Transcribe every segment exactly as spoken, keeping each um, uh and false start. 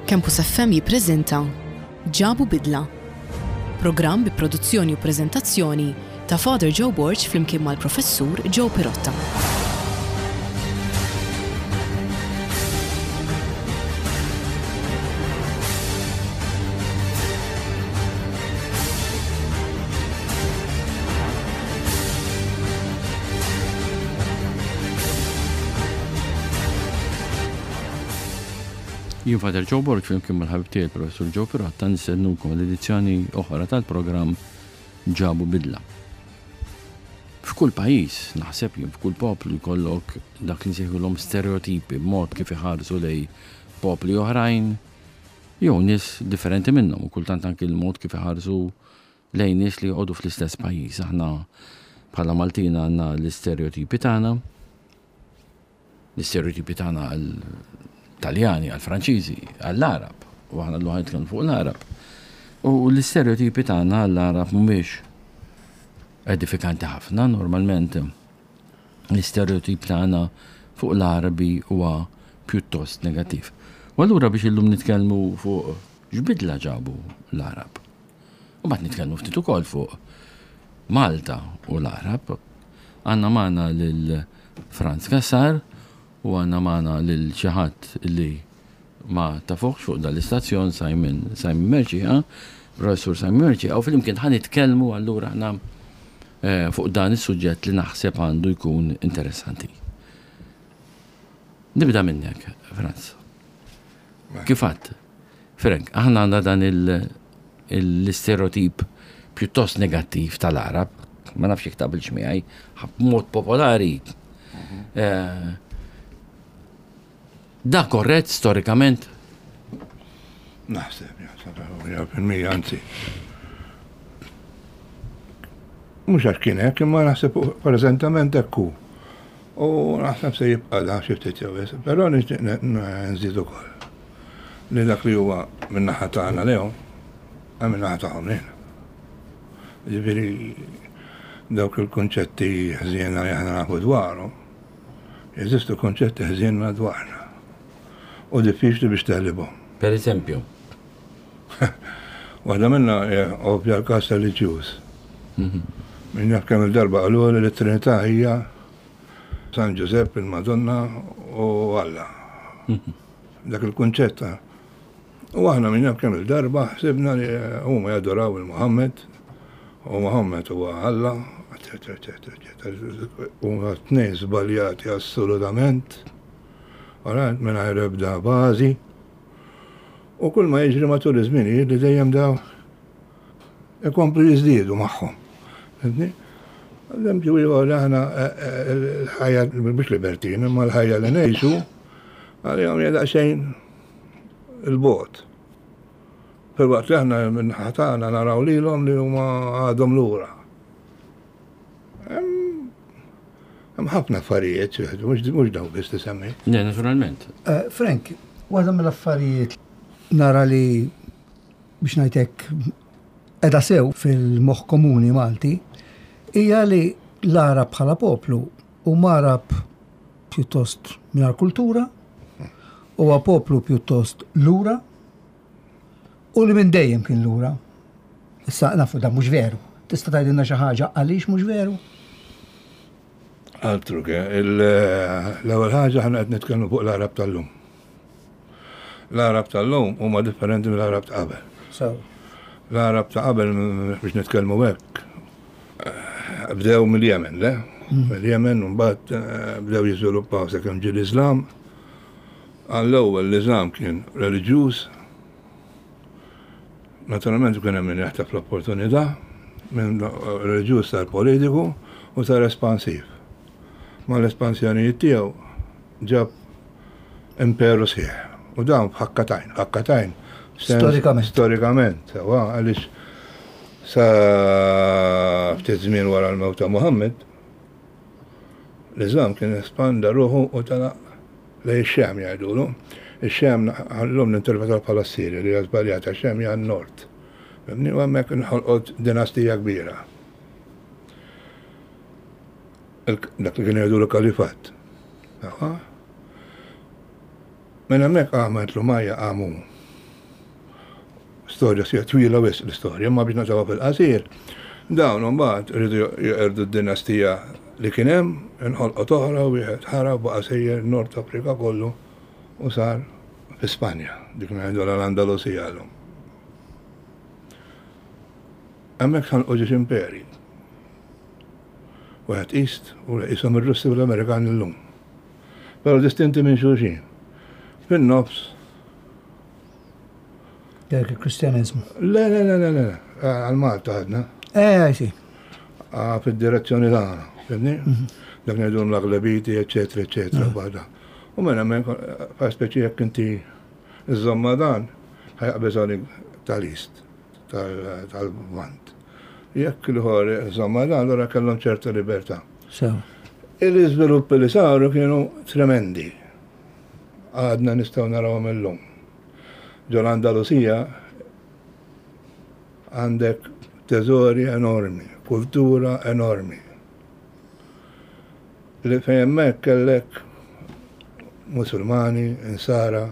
Campus F M jippreżenta Ġabu Bidla. Programm bi produzzjoni u preżentazzjoni ta' Father Joe Borg flimkien mal-Professur Joe Pirotta. Jien Father Joe Borg flimkien mal-ħabib tiegħi Professur Joe Pirotta nistednukom l-edizzjoni oħra tal-programm Ġabu Bidla. F'kull pajjiż, naħseb jien f'kull poplu jkollok dak li nsejħulhom stereotipi, mod kif iħarsu lej popli oħrajn jew nies differenti minnhom u kultant anki l-mod kif iħarsu lejn nies li joqogħdu fl-istess pajjiż. Aħna bħala Maltin għandna l-istereotipi tagħna, l-istereotipi tagħna għal Taljani, għal Franċiżi, għall-Arab, u aħna llum nitkellmu fuq l-Arab. U l-istereotipi tagħna għall-Arab mhumiex edifikanti ħafna, normalment l-istereotip tagħna fuq l-Arabi huwa pjuttost negattiv. U allura biex illum nitkellmu fuq x'bidla ġabu l-Arab. U mbagħad nitkellmu ftit ukoll fuq Malta u l-Arab. Għandna magħna lil Franz Cassar u għandna magħna lil xi ħadd li ma tafuħx fuq dal-istazzjon, Simon Simon Mercieca, Professur Simon Mercieca, u flimkien ħa nitkellmu allura aħna eh, fuq dan is-suġġett li naħseb għandu jkun interessanti. Nibda minnek, Franz. Kif għedt? Frank, aħna għandna dan l-istereotip pjuttost negattiv tal-Arab, ma nafx jekk taqbilx miegħi, mod popolari. Eh, Da korrett storikament? Naħseb, jaħseb, fil-mija, anzi. Mhux għax kien hekk, imma naħseb preżentament hekk hu. U naħseb se jibqa' da xi ftit jew wisq, però nixtieq nżid ukoll li dak li huwa min-naħa tagħna lehom, hemm min-naħa tagħhom lejna. Ġifieri dawk il-kunċetti ħżiena li aħna nafu dwarhom, jeżistu konċetti ħżiena dwarna. U diffiċli biex teħlibhom. Per eżempju? Waħda minna ovvja, l-każ reliġjuż. Min jaf kemm il-darba qalu li l-Trinità hija San Giuseppe, il-Madonna u Alla. Dak il-kunċett. U aħna min jaf kemm il-darba ħsibna li huma jadoraw il-Muhammed u Muhammed huwa Alla, eccetera, eccetera, eccetera. Huma tnejn żbaljati assolutament. Ora, mingħajr ebda bażi. U kull ma jiġri matul iż-żminijiet li dejjem daw ikomplu jiżdiedu magħhom. Fhimtni? Eżempju ieħor, aħna l-ħajja mhux libertin, imma l-ħajja li ngħixu għalihom hija daqsxejn il-bogħod. Filwaqt li aħna minn ħatana naraw lilhom li huma għadhom lura. Hemm ħafna affarijiet, mhux mhux dawn biss li semmi. Ne, naturalment. Eh, Frank, waħda mill-affarijiet nara li biex ngħidlek edha sew fil-moħħ komuni Malti hija li l-Arab bħala poplu huma Arab pjuttost mingħajr kultura, huwa poplu pjuttost lura u li minn dejjem kien lura. Issa nafu da mhux veru. Tista' tgħidilna xi ħaġa għaliex mhux veru? Altru ke, l-ewwel ħaġa, aħna qed nitkellmu fuq l-Arab tal-lum. L-Arab tal-lum huma differenti mill-Arab ta' qabel. So, L-Arab ta' qabel, biex nitkellmu hekk, bdew mill-Jemen, le? Mill-Jemen, u mbagħad eh, bdew jiżviluppaw sakemm ġie l-Islam. Għall-ewwel l-Islam kien reliġjuż. Naturalment kien hemm min jaħtaf l-opportunità, minn reliġjuż sar politiku u sar espansiv. Ma l-espansjonijiet tiegħu ġab imperu sħiħ. U dawn f'ħakka t'għajn, ħakka t'għajn. Storikament. Storikament, sewa, għaliex sa ftit żmien wara l-mewt ta' Muhammad, l-Islam kien espanda ruħu u tala lejn ix-Xam jgħidulu. Ix-Xam llum ninterpretaw bħala Sirja, li hija żbaljata, Xam hija n-Nord. Fhimtni? U hemmhekk inħolqot dinastija kbira. Dak li kien jgħidulu kalifat. Minn hemmhekk qamet l-Umayya, qamu Storja sija twila wisq l-istorja, ma biex naqtgħuha fil-qasir. Dawn imbagħad rridu jeqirdu d-dinastija li kien hemm, inħolqot oħra u wieħed ħarab, baqa' sejjer Nord Afrika kollu u sar fi Spanja, dik ngħidu l-Andalusija llum. Hemmhekk ħalqu ġiex imperi. Wieħed East u qishom ir-Russi u l-Amerikani llum. Però distinti minn xulxin. Fin-nofs. Dak il-Kristjaneżmu. Le, le, le, le, le, għal Malta għadna. Eh, sì. Fid-direzzjoni tagħna, fimni? Dak ngħidu l-Aglabiti, eċetera, eċetera, bada. U minn hemmhekk fa' speċi jekk inti iżomma dan, ħajaqbeż għalik tal-East, tal-Lvant. Jekk l-ħor iżomma dan, allura kellhom ċerta libertà. Sew. Il-iżviluppi li saru kienu tremendi. Għadna nistgħu narawhom illum. Ġol Andalusija għandek teżori enormi, kultura enormi. Li fejn hemmhekk kellek Musulmani, Insara,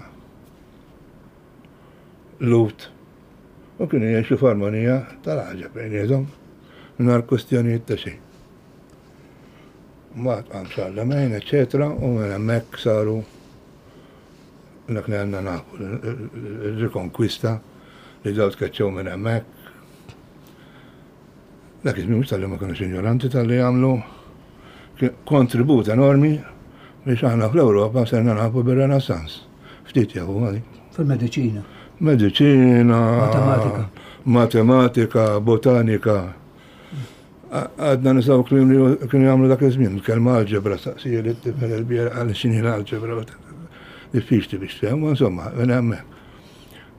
Lut, u kienu jgħixu f'armonija tal-ħaġa bejniethom, mingħajr kwestjonijiet ta' xejn. Mbagħad qam Charlemagne, eċetera, u minn hemmhekk saru dak li għandna nafu, il-rikonkwista li daw tkeċċew minn hemmhekk. Dak iż-żmien mhux talli ma kinux ignoranti, talli għamlu kontribut enormi biex aħna fl-Ewropa serna nafu bir-Renaissance. Ftit jafu għali. Fil-mediċina. Mediċina. Matematika. Matematika, botanika. Għadna nisaw kliem li kienu jagħmlu dak iż-żmien, kelma algebra, staqsija li t-tifel il-biera għal x'inhi l-algebra. Diffiċli biex tfhem, ma insomma, minn hemmhekk.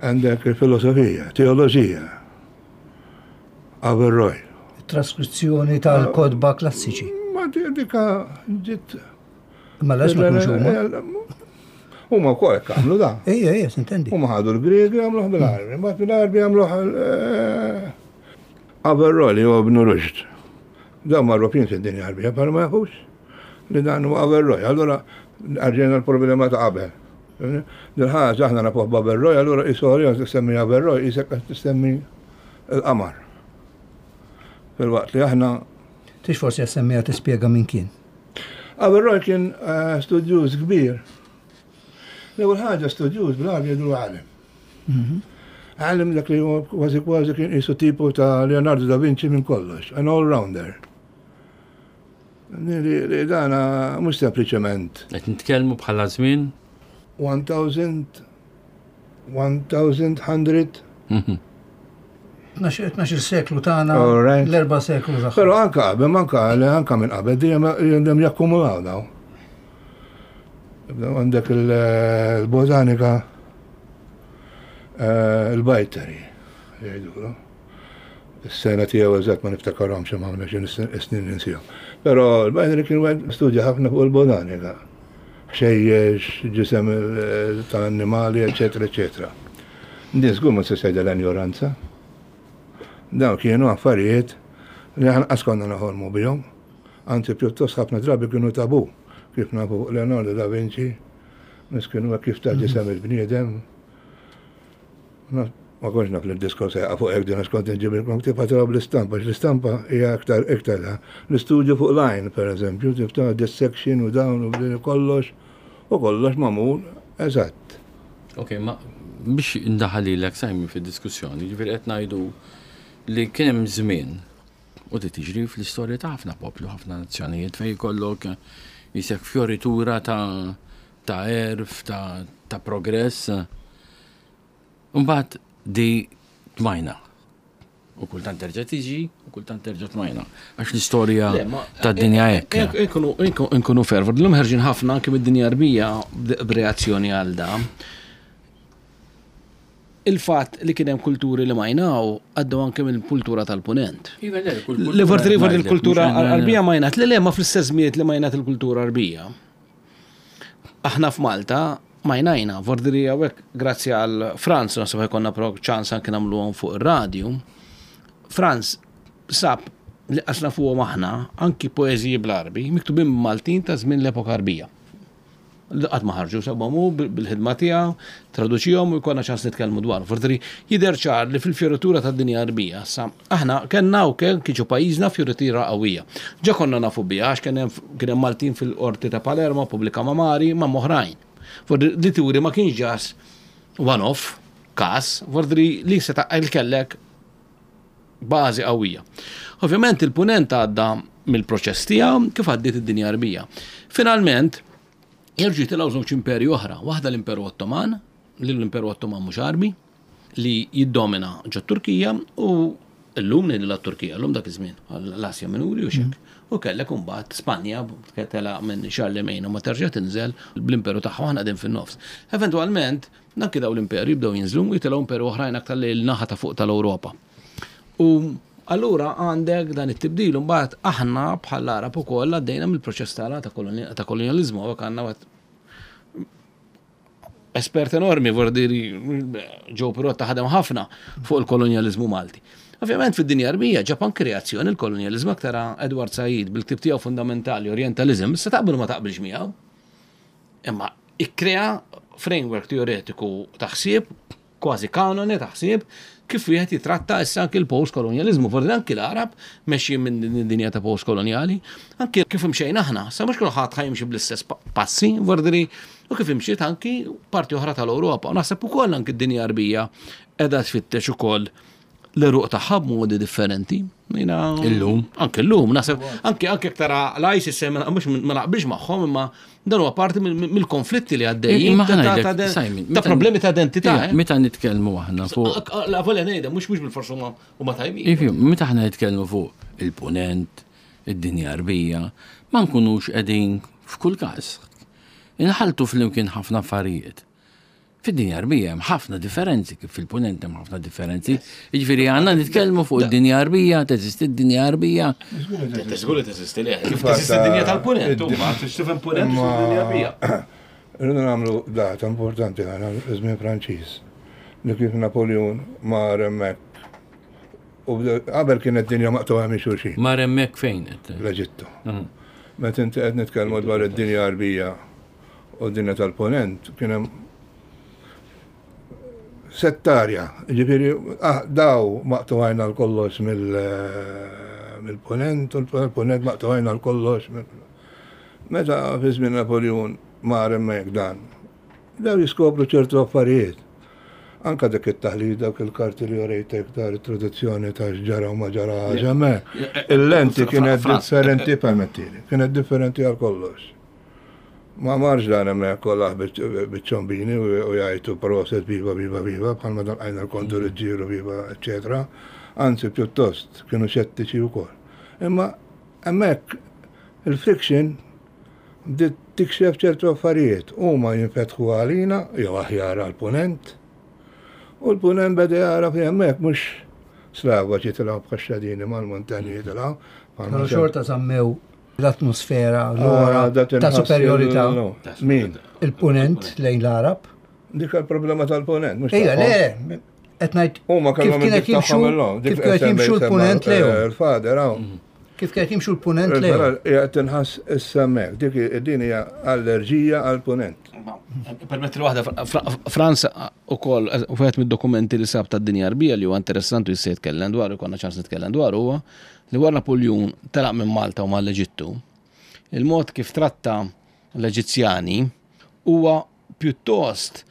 Għandek il-filosofija, teoloġija, Averroy. Traskrizzjoni tal-kodba klassiċi. Ma dika ġiet. Ma lax ma kienux huma. Huma wkoll hekk għamlu da. Ejja, ejja, sintendi. Huma ħadu l-Griegi għamluh bil-Għarbi, mbagħad bil-Għarbi għamluh Averroy li huwa Ibn Rushd. Dawn magħrufin fid-dinja Għarbija, però ma jafux li dan huwa Averroy. Allura rġejna l-problema ta' qabel. Dil-ħaġa aħna nafuh b'Averroy, allura isorja tissemmi Averroy, isek qed tissemmi l-qamar. Fil-waqt li aħna. Tix forsi jassemmiha tispjega min kien. Averroy kien studjuż kbir. L-ewwel ħaġa studjuż bil-Għarbi jgħidu għalem. Għalem dak li huwa kważi kważi kien qisu tipo ta' Leonardo da Vinci minn kollox, an all-rounder. Li dana mhux sempliċement. Qed nitkellmu bħala żmien? one thousand, one thousand hundred. Tnax-il seklu tagħna, l-erba' seklu tagħha. Però anka qabel, anka anka minn qabel dejjem dejjem jakkumulaw daw. Għandek il-botanika, il-bajteri, jgħidulu. Is-sena tiegħu eżatt ma niftakarhomx imma ħafna xi snin ninsihom. Però l-bajteri kien wieħed studja ħafna fuq il-botanika. Ħxejjex, ġisem tal-annimali, eċetera, eċetera. Din żgur ma se tgħidha l-injoranza. Dawn kienu affarijiet li aħna qas konna noħolmu bihom. Anzi pjuttost ħafna drabi kienu tabu. Kif nafu fuq Leonardo da Vinci, miskien huwa kif ta' ġisem il-bniedem. Ma kontx naf li d-diskors jaqa' fuq hekk din għax kont inġibilkom ktieb ħadd bl-istampa, għax l-istampa hija aktar iktar. L-istudju fuq line, per eżempju, tif ta' dissection u dawn u bdin kollox, u kollox magħmul eżatt. Ok, ma biex indaħal lilek Simon fid-diskussjoni, ġifieri qed ngħidu li kien hemm żmien u di tiġri fl-istorja ta' ħafna poplu, ħafna nazzjonijiet fejn jkollok jisek fioritura ta' ta' erf, ta', ta' progress. Mbagħad di tmajna. U kultant terġa' tiġi, u kultant terġa' tmajna. Għax l-istorja tad-dinja hekk. Inkunu fervor. L-lum ħerġin ħafna anke mid-dinja Għarbija b'reazzjoni għal da. Il-fatt li kien hemm kulturi li majnaw għaddew anke mill-kultura tal-punent. Li forsi il-kultura Għarbija majnat, li le ma fl-istess żmiet li majnat il-kultura Għarbija. Aħna f'Malta majnajna, vordiri hawnhekk grazzi għal Franz, naħseb ħajkonna pro ċans anke nagħmluhom fuq ir-radju. Franz sab li qasna fuqhom aħna anki poeżiji bl-Għarbi miktubin Maltin ta' żmien l-epoka Għarbija. Qatt ma ħarġu sabhom hu bil-ħidma tiegħu, traduċihom u jkollna ċans nitkellmu dwar. Forsi jidher ċar li fil-fjoritura tad-dinja Arbija, sa aħna kellna wkoll kiġu pajjiżna fjoritura qawwija. Ġa konna nafu biha għax kien hemm Maltin fil-qorti ta' Palermo, Pubblika Mamari, ma' oħrajn. Forsi li turi ma kienx ġas one-off każ, forsi li seta' kellek bażi qawwija. Ovvjament il-punent għadda mill-proċess tiegħu kif għaddiet id-dinja Arbija. Finalment, jerġgħu jitilgħu żewġ imperi oħra, waħda l-Imperu Ottoman, li l-Imperu Ottoman mhux Arbi, li jiddomina ġo Turkija u llum ngħidu la Turkija, llum dak iż-żmien, l-Asja Minuri u xek. U kellek imbagħad Spanja tela minn Charlemagne u ma terġa' tinżel bl-imperu tagħha aħna qegħdin fin-nofs. Eventwalment, anki daw l-imperu jibdew jinżlu u jitilgħu imperu oħrajn aktar lejn naħa ta' fuq tal-Ewropa. U allura għandek dan it-tibdil mbagħad aħna bħal Arab ukoll għaddejna mill-proċess tagħna ta' kolonializmu u għandna espert enormi, vordiri Joe Pirotta ħadem ħafna fuq il-kolonializmu Malti. Ovvjament fid-dinja Arbija ġab anke reazzjoni il-kolonializmu aktar Edward Said bil-ktib tiegħu fundamentali Orientalism, issa taqbel ma taqbilx miegħu. Imma ikkrea framework teoretiku ta' ħsieb, kważi kanone ta' ħsieb, kif wieħed jitratta issa anke l-post-kolonializmu. Forsi anke l-Arab mexji minn din id-dinja ta' post-koloniali, anke kif imxejna aħna, sa mhux kulħadd ħa jimxi bl-istess passi, vordiri, u kif imxiet anki parti oħra tal-Ewropa. U naħseb ukoll anke d-dinja Arbija qiegħda tfittex ukoll l-eruq tagħha b'modi differenti. Illum. Anke llum, naħseb anke anke tara l-ISIS mhux ma naqbilx magħhom, imma dan huwa parti mill-konflitti li għaddejjin ta' problemi ta' identità. Meta nitkellmu aħna fuq. La volja ngħidha mhux mhux bil-forsi huma tajbin. Ifhem, meta aħna nitkellmu fuq il-punent, id-dinja Arbija, ma nkunux qegħdin f'kull każ. Inħaltu flimkien ħafna affarijiet. Fid-dinja Arbija hemm ħafna differenzi, kif fil-punent hemm ħafna differenzi. Jiġifieri għandna nitkellmu fuq id-dinja Arbija, teżisti d-dinja Arbija. Teżgur li teżisti le. Kif teżisti d-dinja tal-punent, huma tifhem punent u d-dinja Arbija. Irridu nagħmlu data importanti għana żmien Franċiż. Li kif Napoleon mar hemmhekk. U qabel kienet dinja maqtuha minn xulxin. Mar hemmhekk fejn qed? L-Eġittu. Meta inti qed nitkellmu dwar id-dinja Arbija u d-dinja tal-punent, kien hemm settarja, ġifieri, daw maqtuħajna l-kollox mill-punent, u l-punent maqtuħajna l-kollox. Meta fi żmien Napoleon mar hemmhekk dan, daw jiskopru ċertu affarijiet. Anka dak it-taħlid, dak il-karti li orejtek dar it-traduzzjoni ta' x'ġara u ma ġara hemmhekk. Il-lenti kienet differenti, permettili, kienet differenti għal kollox. Ma marx dan hemmhekk kollha biċ-ċombini u jgħidu proset viva viva viva bħalma dan għajna l-kontu Ruġġieru viva eċetera. Anzi pjuttost kienu xettiċi wkoll. Imma hemmhekk il-friction bdiet tikxef ċertu affarijiet. Huma jinfetħu għalina jew aħjar għall-punent. U l-punent beda jara fi hemmhekk mhux slava jitilgħu bħax-xadini mal-muntanji jitilgħu. Però xorta żammew l-atmosfera, l-ora ta' superiorità. Min? Il-punent lejn l-Arab. Dik il-problema tal-punent. Ejja, le, qed ngħid kif kienet jimxu kif kienet jimxu l-punent lejhom. Il-fader hawn. Kif kienet jimxu l-punent lejhom. Qiegħed tinħass issa hemmhekk. Dik din hija allerġija għall-punent. Permetti waħda, Franza ukoll wieħed mid-dokumenti li sab tad-dinja Arbija li huwa interessanti jista' jitkellem dwar, ikollna ċans nitkellem dwar huwa li wara Napoleon telaq minn Malta u mal-Eġittu, il-mod kif tratta l-Eġizzjani huwa pjuttost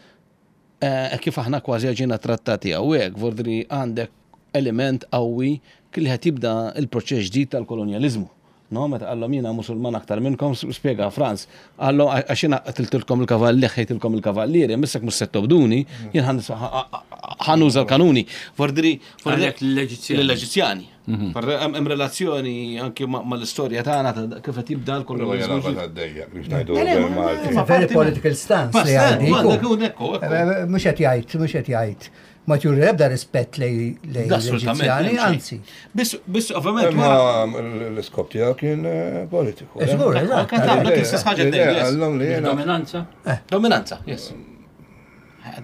kif aħna kważi ġejna trattati hawnhekk, vordri għandek element qawwi li qed jibda l-proċess ġdid tal-kolonjaliżmu. No, meta qallhom jiena Musulman aktar minnkom, spjega Franz, qallhom għax jiena qatiltilkom il-kavalli, ħejtilkom il-kavallieri, missek mhux se tobduni, jien ħanuża l-kanuni. Vordri, l-Eġizzjani. L-Eġizzjani. Hemm relazzjoni anke mal-istorja tagħna kif qed jibda l-kolonializmu. Very political stance li għandi. Mhux qed jgħid, mhux qed jgħid. Ma tjuri ebda rispett lejn l-Eġizzjani, anzi. Biss, biss, ovvjament. Ma l-iskop tiegħu kien politiku. Żgur, eżatt. Dominanza. Dominanza, yes.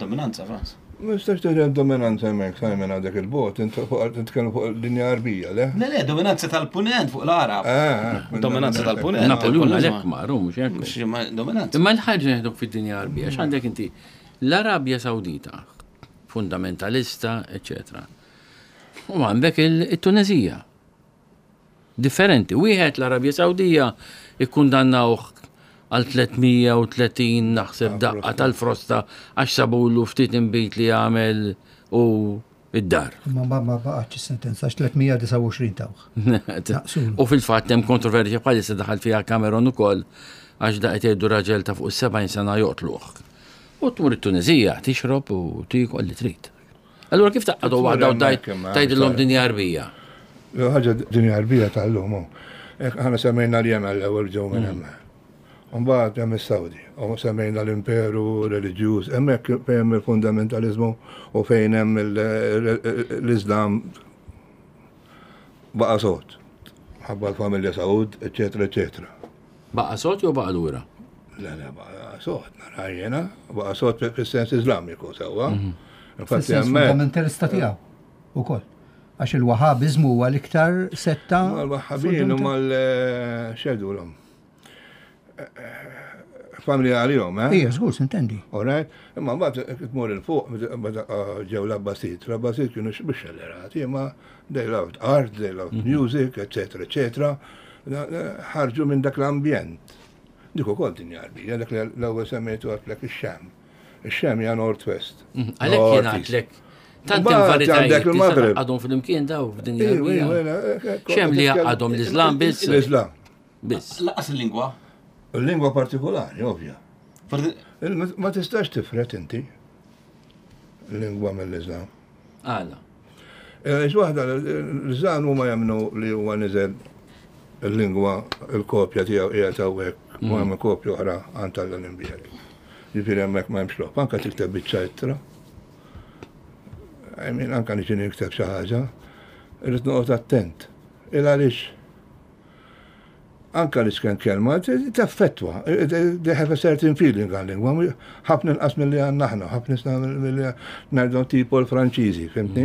Dominanza, Franz. Ma nistax tgħid dominanza hemmhekk, Simon, għandek il-bot, nitkellmu fuq il-dinja Arbija, le? Le, le, dominanza tal-punent fuq l-Arab. Ah, ah, Dominanza tal-punent. Napoleon għalhekk maru, mhux hekk. Mhux ma- Dominanza. Imma l-ħaġa neħduk fid-dinja Arbija, x'għandek inti? L-Arabja Sawdita, fundamentalista, eccetera. U għandek il-Tunezija. Differenti. Wieħed l-Arabja Sawdija ikkundannawh għal tliet mija u tletin naħseb daqqa tal-frosta għax sabulu ftit inbid li għamel u id-dar. Ma ma ma baqgħetx is-sentenza għax tliet mija u disgħa u għoxrin tawh. Naqsulu. U fil-fatt hemm kontroversja bħalissa daħal fiha Cameron ukoll għax da qed jgħidu raġel ta' fuq is-sebgħin sena joqtluh. U tmur it-Tunezija tixrob u tiekol li trid. Allura kif taqgħdu Tmur waħda u hemmhekk imma, tgħidilhom sorry. dinja Arbija? Ħaġa dinja Arbija tal-lum. hu. Ek aħna semmejna l-Jemen l-ewwel ġew minn hemm. Mbagħad hemm is-Sawdi, u semmejna l-imperu reliġjuż, hemmhekk fejn hemm il-fundamentalizmu u fejn hemm il- l-Islam baqa' sod. Ħabba l-familja Saud, eċetera, eċetera. Baqa' sod jew baqa' lura? Le, le, baqa' sod, nara jiena, baqa' sod fis-sens Iżlamiku sewwa. Infatti Fis-sens hemmhekk fundamentalista tiegħu ukoll. Għax il-Wahabizmu huwa l-iktar setta. Mal-Wahhabin u mal-xedulhom. Familja għalihom, eh? Ija, żgur, sintendi. All right? Imma mbagħad tmur il fuq meta ġew l-Abbasid. L-Abbasid kienu biex xellerati, imma they loved art, they loved music, eccetera, eccetera. Ħarġu minn dak l-ambjent. Dik ukoll dinja Arbija, dak li l-ewwel semmejtu għedtlek ix-Xam. Ix-Xam hija North West. Għalhekk jien għedtlek. Tant hemm Mbagħad varitajiet għandek tista' il-Maghreb. taqgħadhom flimkien daw f'dinja Iwa, iwa, Arbija. iwa, Xem li jaqgħadhom l-Islam biss? L-Islam. Biss. Laqas il-lingwa. Il-lingwa partikolari, ovvja. Forti- Il- Ma tistax tifret inti l-lingwa mill-Islam. Għala. Għax waħda, l-Islam huma jemmnu li huwa niżel il-lingwa, il-kopja tiegħu qiegħed hawnhekk u hemm kopja oħra għand tal-Olimpijadi. Ġifieri hemmhekk ma hemmx logħob, anke tikteb biċċa ittra. I mean, anke niġi nikteb xi ħaġa, irrid noqgħod attent. Il għaliex anka li sken kelma, taffettwa, they have a certain feeling għal-lingwa, ħafna inqas mill-li għandna aħna, ħafna inqas mill-li ngħidu tipo l-Franċiżi, fhimtni?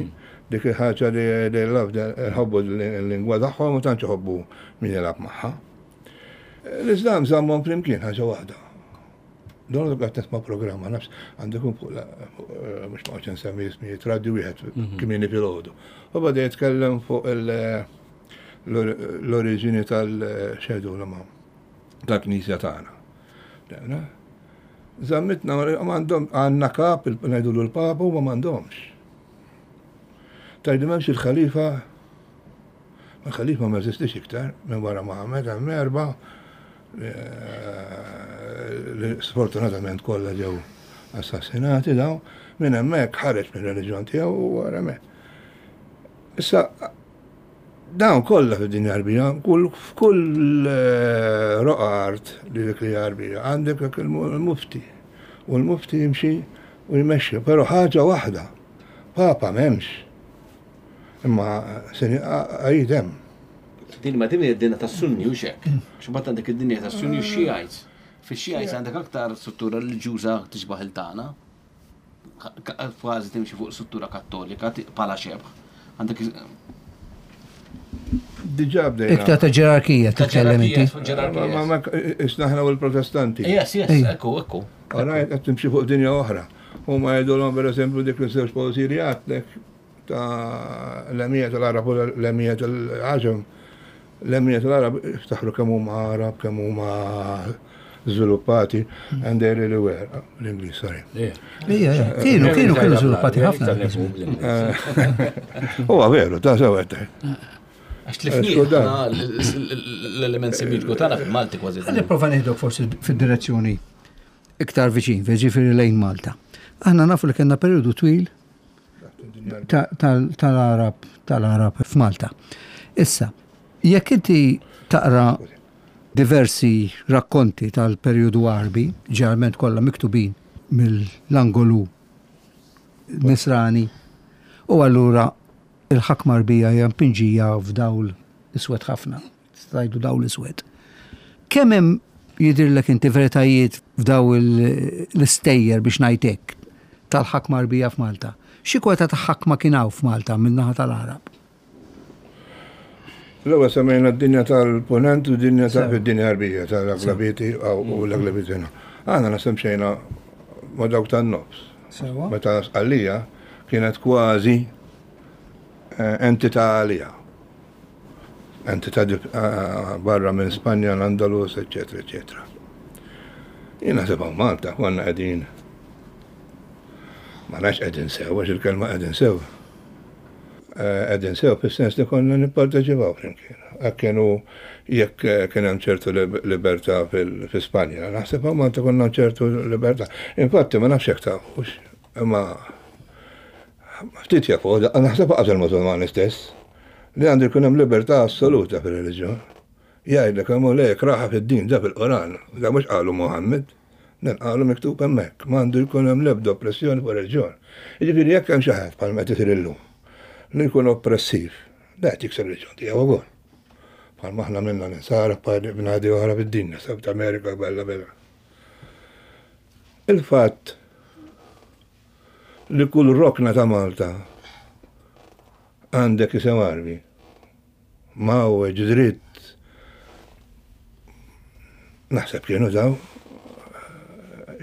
Dik il-ħaġa li they love, jħobbu l-lingwa tagħhom u tantx iħobbu min jilgħab magħha. L-Islam żammhom flimkien ħaġa waħda. Don qed nisma' programma nafs għandu fuq mhux ma nsemmi ismijiet radio wieħed kmieni filgħodu. U bada jitkellem fuq il- l-oriġini tal-xedu l tal-knisja tagħna. Dewna. Zammitna m'għandhom għandna kap ngħidu l-papa u ma m'għandhomx. Tajdu m'hemmx il-ħalifa, ma l-ħalifa ma jeżistix iktar minn wara Muhammad hemm erba' eh, li sfortunatament kollha ġew assassinati daw, minn hemmhekk ħareġ mir-reliġjon tiegħu u wara hemmhekk. Issa dawn kollha fid-dinja Arbija, kull f'kull eh, roqa art li dik li Arbija għandek dak il-mufti. U l-mufti jimxi u jmexxi, però ħaġa waħda, papa m'hemmx. Imma seni għajd hemm. Din ma din id-dinja tas-Sunni u xek. X'bad għandek id-dinja tas-Sunni u Shiites. Fix-Shiites għandek aktar struttura reliġjuża tixbaħ il-tagħna. Kważi timxi fuq struttura kattolika bħala xebħ. Għandek Diġà bdejna. Iktar ta' ġerarkija titkellem inti. Ma ma ma isna ħna u l-Protestanti. Yes, yes, Ejja. ekku, ekku. Alright, qed timxi fuq dinja oħra. Huma jgħidulhom pereżempju dik l-żewġ poeżiji li għedtlek ta' l-emija tal-Arab u l-emija tal-Għaġem. L-emija tal-Arab iftaħru kemm huma Arab, kemm huma żviluppati, and they really were. L-Ingliż, sorry. Ija, ija, kienu, kienu, kienu żviluppati ħafna. Huwa veru, ta' sew qed. Għax tlifni l-element semitiku tagħna fil-Malti kważi. Għalli prova nieħdok forsi fid-direzzjoni iktar viċin, ġifieri lejn Malta. Aħna nafu li kellna periodu twil ta- tal- tal-Arab tal-Arab f'Malta. Issa, jekk inti taqra diversi rakkonti tal-periodu Arbi, ġeneralment kollha miktubin mill-angolu nisrani, u allura il-ħakma Arbija hija mpinġija f'dawl iswed ħafna, stajdu dawl iswed. Kemm hemm jidhirlek inti veritajiet f'daw il- l-istejjer biex ngħidlek tal-ħakma Arbija f'Malta. Xi kwota ta' ħakma kien hawn f'Malta min-naħa tal-Għarab? L-ewwel semmejna d-dinja tal-Punent u d-dinja tal-dinja Arbija tal-Aglabiti u l-Aglabiti. Aħna naħseb xejna ma' dawk tan-nofs. Meta Sqallija kienet kważi entità għalija. Entità barra minn Spanja, l-Andalus, eċetera, eċetera. Jien naħseb hawn Malta konna qegħdin ma nafx qegħdin sew, għax il-kelma qegħdin sew. Qegħdin sew fis-sens li konna nipparteċipaw flimkien. Hekk kienu jekk kien hemm ċertu libertà fi Spanja, naħseb hawn Malta konna ċertu libertà. Infatti ma nafx hekk tafux, imma ftit jafu, naħseb qas il-Musulmani stess, li għandu jkun hemm libertà assoluta fir-reliġjon. Jgħidlek hemm le kraħa fid-din da fil-Qoran, da mhux qalu Muhammad, dan qalu miktub hemmhekk, m'għandu jkun hemm l-ebda oppressjoni fuq reliġjon. Jiġifieri jekk hemm xi ħadd bħalma qed isir illum li jkun oppressiv, da qed jikser reliġjon tiegħu ukoll. Bħalma aħna minna ninsara b'nadi oħra fid-dinja, South America, bella bella. Il-fatt li kull rokna ta' Malta għandek isem Għarbi, mawweġ, dritt, naħseb kienu daw,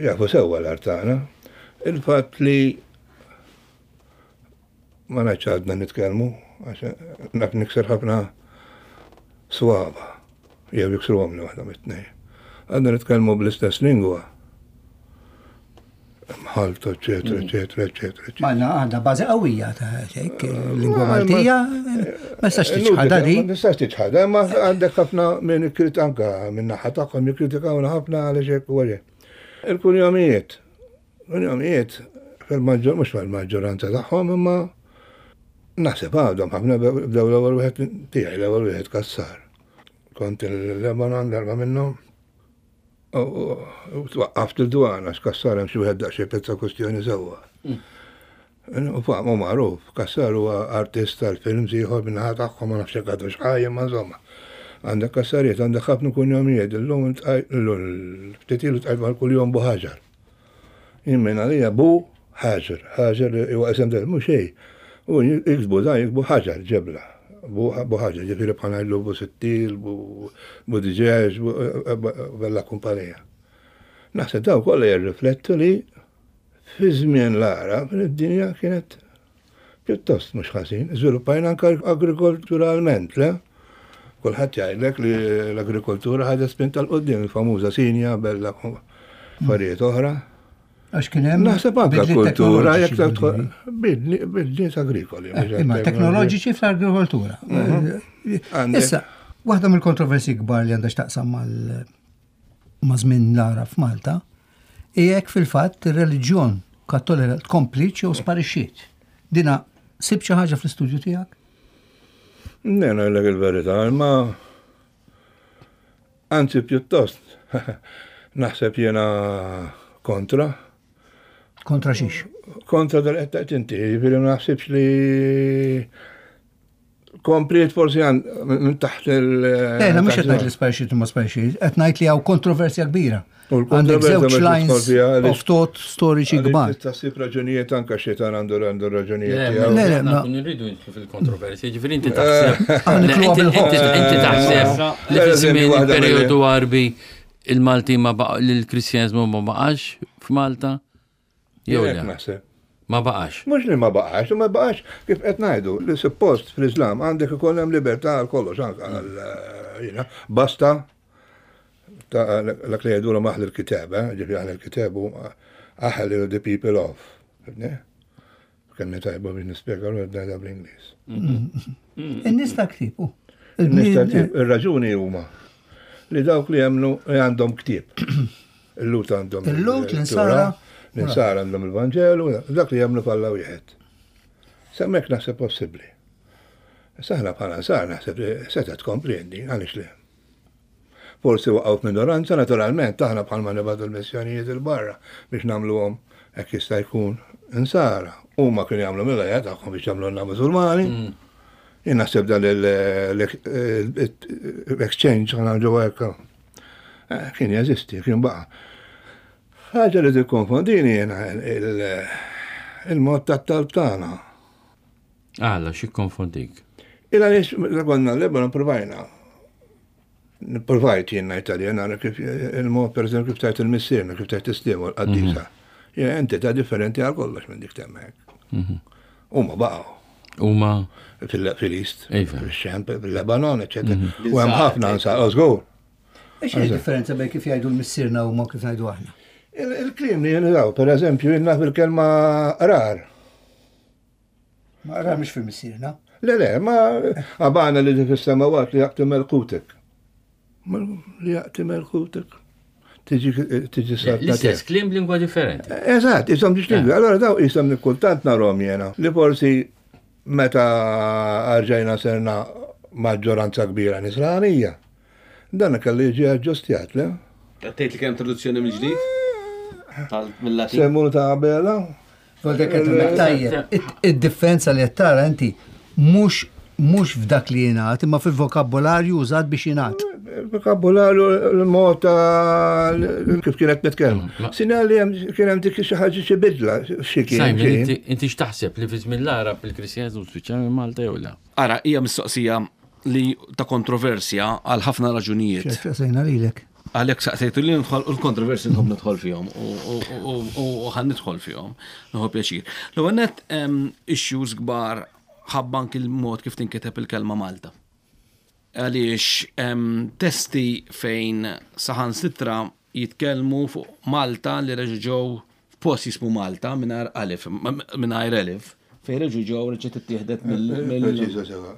jafu sewwa l-art tagħna. Il-fatt li ma ngħidx għadna nitkellmu, għax naf nikser ħafna swaba, jew jiksruhom li waħda mit-tnejn. Għadna nitkellmu bl-istess lingwa. Mħalta, eċetera, eċetera, eċetera. Ma għandha bażi qawwija ta' hekk, lingwa Maltija, ma tistax tiċħadha di. Ma tistax tiċħadha, imma għandek ħafna minn kritika anka minn naħa tagħhom jikkritikawna ħafna għaliex hekk u għalhekk. Il-kunjomijiet, kunjomijiet fil-maġġor mhux fil-maġġoranza tagħhom, imma naħseb għadhom ħafna bdew l-ewwel wieħed tiegħi, l-ewwel wieħed Kassar. Kont il-Lebanon darba minnhom. U twaqqaft il-dwana, x'Kassar hemm xi wieħed daqsxejn pezza kwestjoni sewwa. U faqmu magħruf, Kassar huwa artist tal-films ieħor min-naħa tagħhom ma nafx hekk għadux ħaj, imma insomma. Għandek Kassarijiet, għandek ħafna kunjomijiet, illum ftit ilu tqajt mal-kuljom Bu Ħaġar. Jien minn għalija Bu Ħaġar, Ħaġar huwa isem del mhux xejn. U jiksbu dan, jiksbu Ħaġar, ġebla. Bu Ħaġar, ġifieri bħal ngħidlu Bu Sittil, Bu Diġeġ, bella kumpanija. Naħseb daw kollha jirriflettu li fi żmien l-Għarab id-dinja kienet pjuttost mhux ħażin, żviluppajna anke agrikolturalment, le? Kulħadd jgħidlek li l-agrikoltura ħadet spinta l quddiem, il-famuża sinja, bella affarijiet oħra. Għax kien hemm Naħseb anke bidliet kultura, jekk teknoloġiċi tidħol bidli. bidliet agrikoli, mhux Eh, imma teknoloġiċi fl-agrikoltura. Għandek- Issa, waħda mill-kontroversi kbar li għandha x'taqsam mal ma' żmien l-Għarab f'Malta, hija jekk fil-fatt ir-reliġjon Kattolika tkompliċ jew sparixxiet. Dina sib xi ħaġa fl-istudju tiegħek? Ne, ngħidlek il-verità, imma anzi pjuttost naħseb jiena kontra. Kontra xiex? Kontra dal qed tgħid inti, jiġifieri ma naħsibx li kompliet forsi minn taħt il- Le, le, mhux qed ngħid li sparixxiet u ma sparixxiet, qed ngħid li hawn kontroversja kbira. U Għandek l-kontroversja żewġ mhux lines tidħol fiha għaliex of thought storiċi għaliex kbar. Tista' ssib raġunijiet anke xitan għandu għandu raġunijiet Le, tiegħu. Le, le, aħna ma- kun irridu nidħlu fil-kontroversja, ġifieri inti taħseb. Aħna Le, nidħluha inti- bil-ħoss. inti- Inti taħseb li Per fi eżempju, żmien waħda mill- il-perjodu Għarbi il-Malti ma baqa' l-Kristjaniżmu ma baqax f'Malta? Jew Jekk le? naħseb. Ma baqax. Mhux li ma baqax, ma baqax kif qed ngħidu li suppost fl-Islam għandek ikun hemm libertà għal kollox anke għal jiena basta ta' dak li jgħidulhom aħli l-kitab, eh, ġifieri aħli l-kitab hu aħli the people of. Fhimtni? Kemm tajba biex nispjega l ngħidha bl-Ingliż. In-nies ta' ktieb. u. In-nies ta' ktieb, ir-raġuni huma li dawk li jemmnu li għandhom ktieb. Il-Lut għandhom Il-Lut, il-Torah, l-Insara. l-Insara għandhom il-Vanġelu, dak li jemmnu f'Alla wieħed. S'hemmhekk naħseb possibbli. Issa aħna bħala Nsara naħseb li seta' tkompli għandi, għaliex le. Forsi waqgħu f'minoranza, naturalment, aħna bħalma nibgħatu l-missjonijiet il-barra biex nagħmluhom hekk jista' jkun Insara. Huma kienu jagħmlu mill-ħajja tagħhom biex jagħmlulna Musulmani. Jien naħseb dan l-exchange ħana ġewwa hekk. Kien jeżisti, kien baqa'. Ħaġa li tikkonfondini jiena Il-mod tat-talb tagħna. Għala, xi konfondik? Il għaliex meta konna l-Lebanon provajna. Provajt jien ngħid għalija nara kif il-mod pereżempju kif tajt il-missierna, kif tajt is-sliem u l-qaddisa. Hija entità differenti għal kollox minn dik temmek. Huma baqgħu Huma fil-East, Iva. fil-Xem, fil-Lebanon, eċetera. U hemm ħafna nsa, żgur. X'inhi differenza bejn kif jgħidu l-missierna u ma kif ngħidu aħna? Il- Il-kliem li jenżaw, per eżempju, jenna fil-kelma rar. Ma qrar mhux fil-missierna. Le, le, ma għabana li fis-samawat li jaqti melkutek. Ma li jaqti melkutek. Tiġi tiġi sarta l-istess kliem b'lingwa differenti. Eżatt, jisom ġiġ lingwi. Allora daw jisom li kultant narom jena. Li forsi meta arġajna serna maġġoranza kbira nisranija. Dan kellu jiġi aġġustjat, le? Tgħid li kemm traduzzjoni mill-ġdid? Mill-Latin. Semmunu ta' Abela? Voldek qed hemmhekk tajjeb. Id- Id-differenza li qed tara inti mhux mhux f'dak li jingħad, imma fil-vokabolarju użat biex jingħad. Il-vokabolarju, l-mod ta' kif kienet nitkellmu. Sinjal li hemm- kien hemm dik xi ħaġa xi bidla xi kien. Simon, xi. inti inti x'taħseb li fi żmien l-Arab il-Kristjaniżmu spiċċa minn Malta jew le? Ara, hija mistoqsija li ta' kontroversja għal ħafna raġunijiet. Sejna lilek. Għalek saqsejtu li nidħol u l-kontroversi nħobb nidħol fihom u- u- u- u u ħan nidħol fihom, nħobb pjaċir. L-ewwel nett hemm issues kbar ħabba anki l-mod kif tinkiteb il-kelma Malta. Għaliex hemm testi fejn saħansitra jitkellmu fuq Malta li reġgħu ġew f'post jismu Malta mingħajr alif, mingħajr elif, fejn reġgħu ġew reġgħet ittieħdet mill. mill- Preċiża sewa.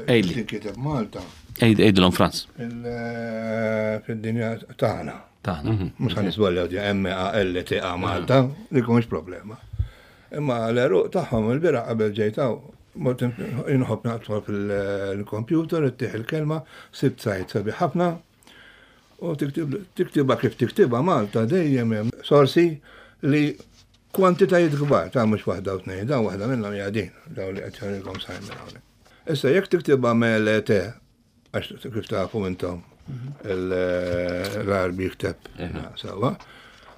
Ejli. Tinkiteb Malta Ejd- Ejdilhom Franz. il- fid-dinja tagħna. Taħna. Mhux ħan nisbaljaw di M A L T A Malta, li mhux problema. Imma l-eruq tagħhom il-bira qabel ġejtaw, mort inħobb naqtma fil-computer, ittieħ il-kelma, sibt sajt sabiħ ħafna, u tiktib tiktibha kif tiktibha Malta dejjem hemm sorsi li kwantitajiet kbar ta' mhux waħda u tnejn, dawn waħda minnhom hija din, dawn li qed jgħidilkom Simon hawnhekk. Issa jekk tiktibha M L T, għax kif tafu intom l-Arbi jikteb sewwa,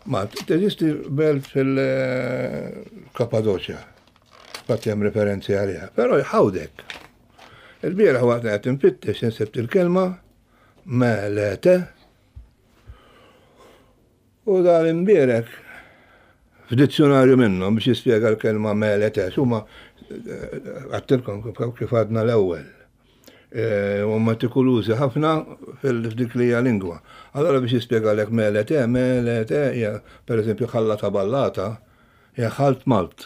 ma teżisti belt fil-Kappadoċja, fatt hemm referenzi għaliha, però jħawdek. Il-bieraħ waqt qed infittex insibt il-kelma Melete u dan imbierek f'dizzjonarju minnhom biex jispjega l-kelma Melete, huma għattilkom kif għadna l-ewwel. U metikolużi ħafna fil-dik li hija lingwa. Allora biex jispjegalek Melete, Melete hija pereżempju ħallata ballata, hija ħalt malt.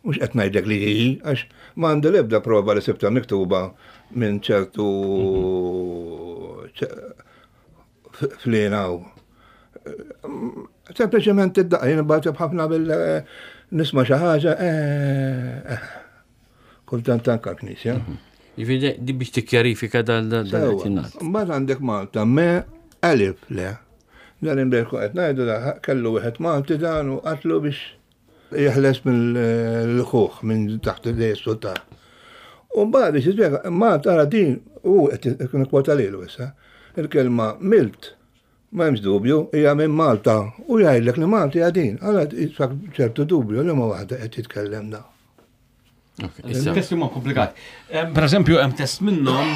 Mhux qed ngħidlek li hi, għax m'għandi l-ebda prova li sibta miktuba minn ċertu flinaw. Sempliċement id-daqqa, jien bagħti ħafna bil nisma' xi ħaġa, eh, eh, kultant anke l-knisja. Jiġifieri di biex tikkjarifika dal- dal- dal- Sewwa. qed jingħad. Mbagħad għandek Malta, me alif le. Dan imbierku qed ngħidu da kellu wieħed Malti dan u qatlu biex jeħles mill-ħuħ minn taħt idej is-sultan. U mbagħad biex jispjega, Malta ara din u qed ikun kwota lilu issa. Il-kelma milt ma hemmx dubju, hija minn Malta u jgħidlek li Malta hija din. Allora jitfak ċertu dubju li ma waħda qed jitkellem da. Ok, issa. Testi huma komplikati. Em, Per eżempju, hemm test minnhom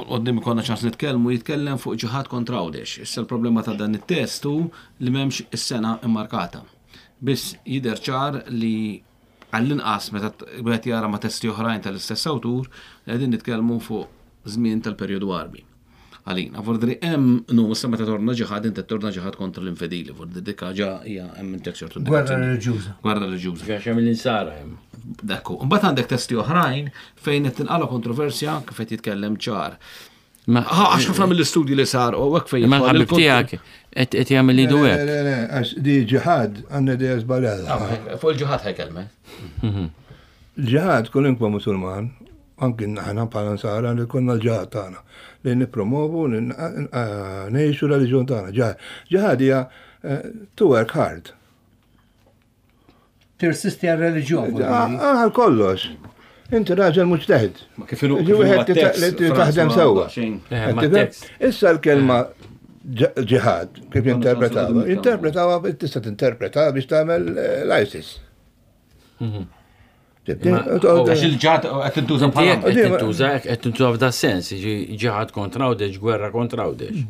qoddim ikollna ċans nitkellmu jitkellem fuq ġihad kontra Għawdex. Issa l-problema ta' dan it-test hu li m'hemmx is-sena immarkata. Biss jidher ċar li għall-inqas meta t-, wieħed jara ma' testi oħrajn tal-istess awtur li qegħdin nitkellmu fuq żmien tal-perjodu Għarbi. Għalina, vordri hemm nu, issa meta torna ġihad, inti torna ġihad kontra l-infedili, vordri dik ġa hija hemm intek ċertu Gwerra indikazzjoni. reliġjuża. Gwerra reliġjuża. Għax hemm l-insara hemm. Dekku. Mbagħad għandek testi oħrajn fejn qed tinqala kontroversja kif qed jitkellem ċar. Ma- Ha, għax ħafna mill-istudji li sar u hekk fejn Imma jidħol l-ħabib il-kont- tiegħek qed qed jagħmel idu Le, hekk. le, le, għax di ġihad għandna idea żbaljata. Ah, fuq il-ġihad ħajkelme. Ġihad kulinkwa musulman, anki aħna bħala nsara li konna l-ġihad tagħna li nippromovu, li n-, n-, ngħixu l-reliġjon tagħna. Ġihad, ġihad hija, eh, to work hard. Tirsisti għal-reliġjon, vuol Ah, dire. ah, Għal kollox. Inti raġel mujtahid. Ma kif inhu- Ġi kif inhu wieħed għat-tekst, li Franz, taħdem ma sewwa. xejn. Eh, ma Qed tifhem? tekst. Issa l-kelma ġ-, ġihad, kif Ma jinterpretawha? nafx Jinterpretawha, tista' tinterpreta biex tagħmel, eh, l-ISIS. Għax il-ġihad qed tintuża Inti hekk bħala. qed tintuża hekk qed tintuża f'da sens, jiġi ġihad kontra Għawdex, gwerra kontra Għawdex.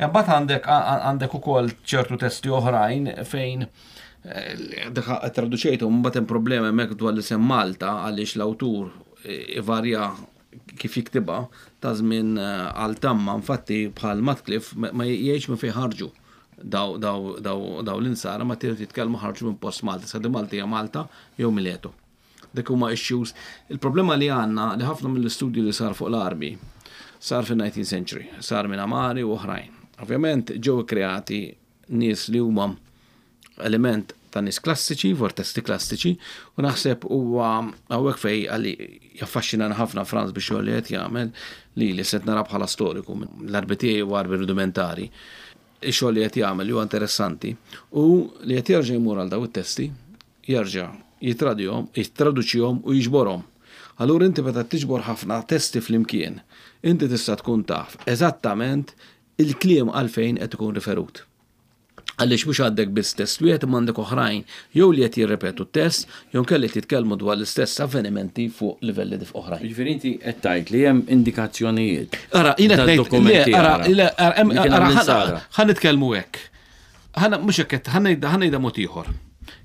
Imbagħad għandek għandek ukoll ċertu testi oħrajn fejn eh, dak traduċejtu mbagħad hemm problema hemmhekk dwar l-isem Malta għaliex l-awtur eh, ivarja kif jiktibha ta' żmien eh, għal tamma infatti bħal Matcliffe ma ma jgħidx minn fejn ħarġu daw daw daw daw l-insara ma trid jitkellmu ħarġu minn post Malta, sa di Malta hija Malta jew Mileto. Dik huma issues. Il-problema li għandna li ħafna mill-istudju li sar fuq l-Arbi sar fin-nineteenth century, sar minn Amari u oħrajn. Ovvjament ġew kreati nies li huma element ta' nies klassiċi, for testi klassiċi, u naħseb huwa hawnhekk fej għalli jaffaxxinana ħafna Franz biex xogħol li qed jagħmel li li set nara bħala storiku l-Arbi tiegħi u Arbi rudimentari. Ix-xogħol li qed jagħmel li huwa interessanti u li qed jerġa' jmur għal daw it-testi, jerġa' jitradihom, jittraduċihom u jiġborhom. Allura inti meta tiġbor ħafna testi flimkien, inti tista' tkun taf eżattament il-kliem għalfejn qed ikun riferut. Għaliex mhux għandek biss test wieħed imma għandek oħrajn jew li qed jirrepetu t-test jew kelli qed jitkellmu dwar l-istess avvenimenti fuq livelli dif oħrajn. Jiġifieri inti qed tgħid li hemm indikazzjonijiet. Ara, jiena qed ngħid, Dad-dokumenti le, ara, ara. le, ara, hemm- Li kien ara, hemm ħa- l-insara. ħa nitkellmu hekk. Ħana mhux hekk qed- ħa ngħidha, ħa ngħidha mod ieħor.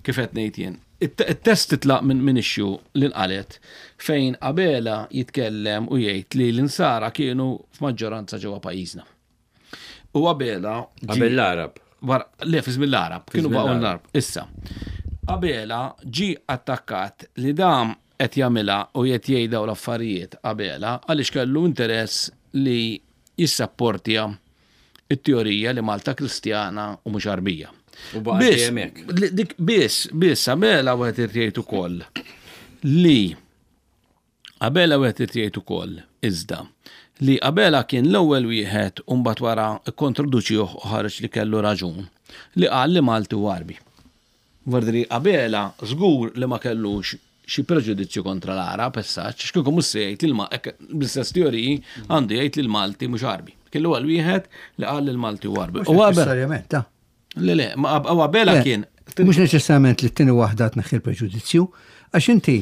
Kif qed ngħid jien. It-test titlaq minn min issue li nqalet fejn Abela jitkellem u jgħid li l-insara kienu f'maġġoranza ġewwa pajjiżna. U Abela ġie- Qabel l-Arab. Wara, le, fi żmien l-Arab, kienu żmien baqgħu l-Arab. l-Arab. Issa, Abela ġi attakkat li dam qed jagħmilha u qed jgħid dawn l-affarijiet Abela għaliex kellu interess li jissapportja it-teorija li Malta Kristjana u mhux Arbija. U baqa' Biss, dejjem hekk. li- dik biss, biss Abela wieħed irid jgħid ukoll li Abela wieħed irid jgħid ukoll iżda li Abela kien l-ewwel wieħed u mbagħad wara kkontroduċih u ħareġ li kellu raġun li qal li Malti u Arbi. Vardri Abela żgur li ma kellux xi preġudizzju kontra l-Arab, essaċ, x'kieku mhux se jgħid li l-Ma-, hekk, bl-istess teoriji għandu jgħid li l-Malti mhux Arbi. Kien l-ewwel wieħed li qal li l-Malti u Arbi. Mhux U Abela neċessarjament, ta. Le, le, ma Ab-, u Abela Le, kien Mhux neċessarjament li t-tieni waħda tneħħi l-preġudizzju, għax inti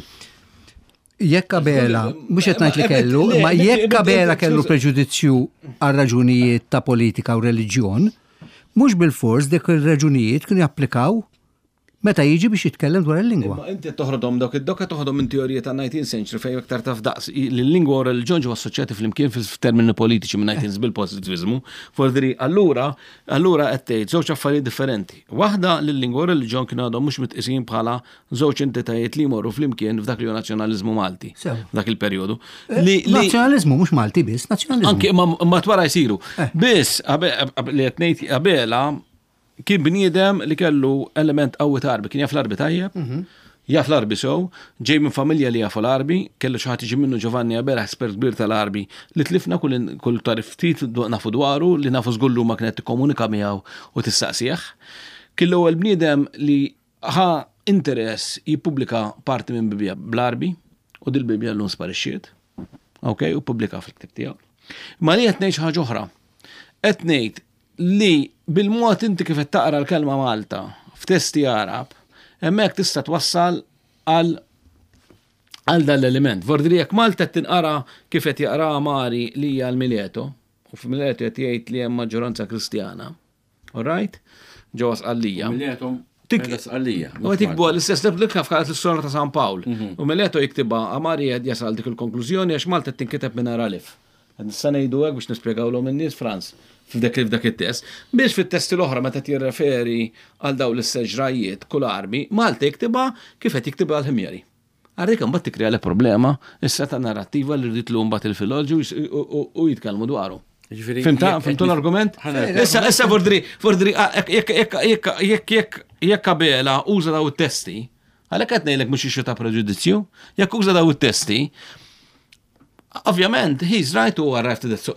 jekk Abela, mhux qed ngħid li kellu, Le, ma le, jekk le, Abela le, kellu skuża. preġudizzju għal raġunijiet ta' politika u reliġjon, mhux bil-fors dik ir-raġunijiet kienu japplikaw meta jiġi biex jitkellem dwar il-lingwa. Ma inti toħrodhom dawk id-dokka toħrodhom minn teorija ta' nineteenth century fejn iktar taf daqs li l-lingwa u reliġjon ġew assoċjati flimkien f'termini politiċi minn nineteenth bil-pożittiviżmu. Fordri allura allura qed tgħid żewġ affarijiet differenti. Waħda li l-lingwa u reliġjon kienu għadhom mhux mitqisin bħala żewġ entitajiet li jmorru flimkien f'dak li hu nazzjonaliżmu Malti. Sew. F'dak il-perjodu. Eh, Li li Nazzjonaliżmu mhux Malti biss, nazzjonaliżmu. Anki ma ma twara jsiru. Eh. Biss abe- ab- li qed ngħid Abela kien bniedem li kellu element qawwi ta' Arbi, kien jaf l-Arbi tajjeb, jaf l-Arbi sew, ġej minn familja li jafu l-Arbi, kellu xi ħadd jiġi minnu Giovanni Abela, espert kbir tal-Arbi, li tlifna kull kull tarif ftit du-, nafu dwaru, li nafu żgullu ma kienet tikkomunika miegħu u tistaqsih. Kien l-ewwel bniedem li ħa interess jippubblika parti minn Bibbja bl-Arbi, u dil-Bibbja llum sparixxiet. Ok, u pubblika fil-ktib tiegħu. Ma li qed ngħid xi ħaġa oħra. Qed ngħid li bil-mod inti kif qed taqra l-kelma Malta f'testi Arab, hemmhekk tista' twassal għal għal dan l-element. Vordri jekk Malta qed tinqara kif qed jaqra Mari li hija l-Mileto, u f'Mileto qed jgħid li hemm maġġoranza Kristjana. All right? Ġewwa Sqallija. Mileto Tik- Mela Sqallija. U qed jikbu l-istess li kif qalet l-istorja ta' San Pawl. U Mileto jiktibha Amari qed jasal dik il-konklużjoni għax Malta qed tinkiteb minn alif. Qed nista' ngħidu hekk biex nispjegawlhom in-nies Franz f'dak f'dak it-test. Biex fit-testi l-oħra meta jirreferi għal dawn l-istess ġrajiet kull armi, Malta jiktibha kif qed jiktibha l-Ħimjeri. Għarrik mbagħad tikkrea le problema issa ta' narrattiva li rrid tlum mbagħad il-filoloġi u, u, u jitkellmu dwaru. Jiġifieri, Fimta, jekk fimtu qed l-argument? Ħana- Issa, issa vordri, vordri, ah, jekk, jekk, jekk, jekk, jekk, jekk Abela uża daw it-testi, għalhekk qed ngħidlek mhux issue ta' preġudizzju, jekk uża daw it-testi, ovvjament, he's right to arrive to that,